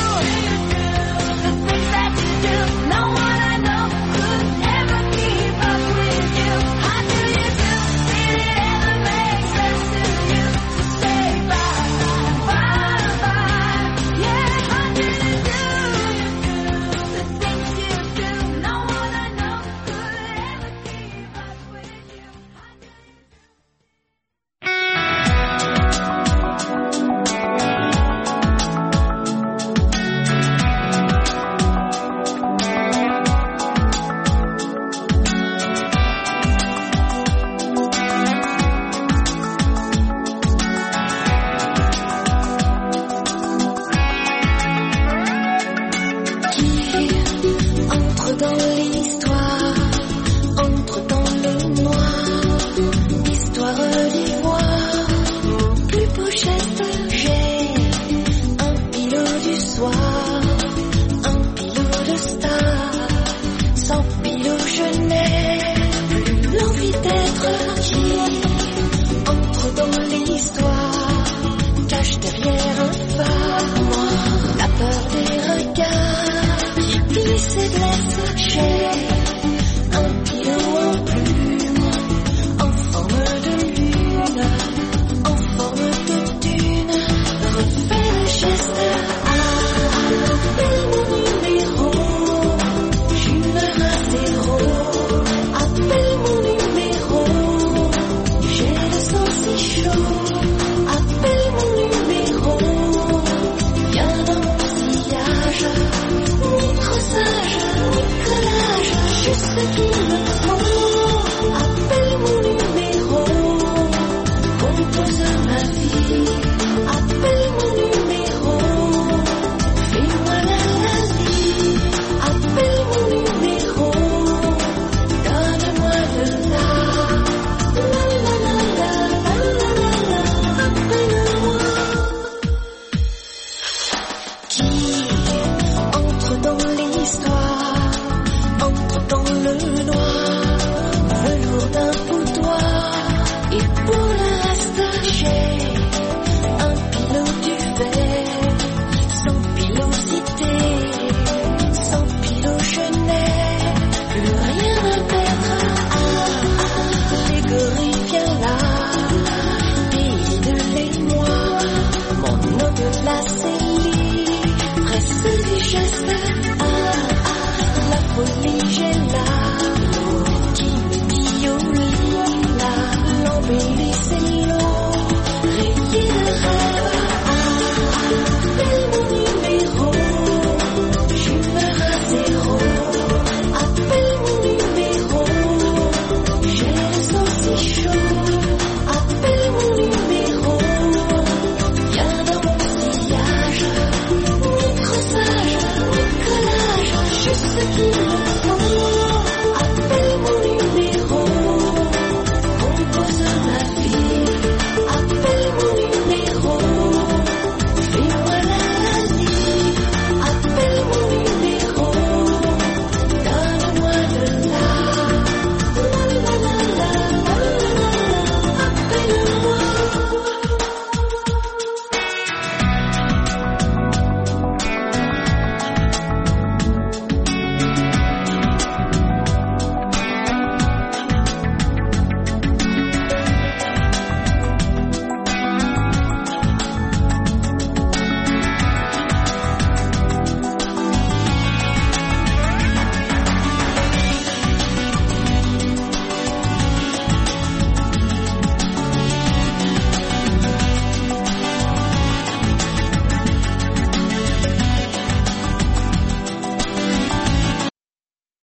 The things that you do, no one I know could ever keep up with you. How do you do? Did it ever make sense to you to say bye, bye, bye? Yeah, how do you do? The things you do, no one I know could ever keep up with you. How do you Qui entre dans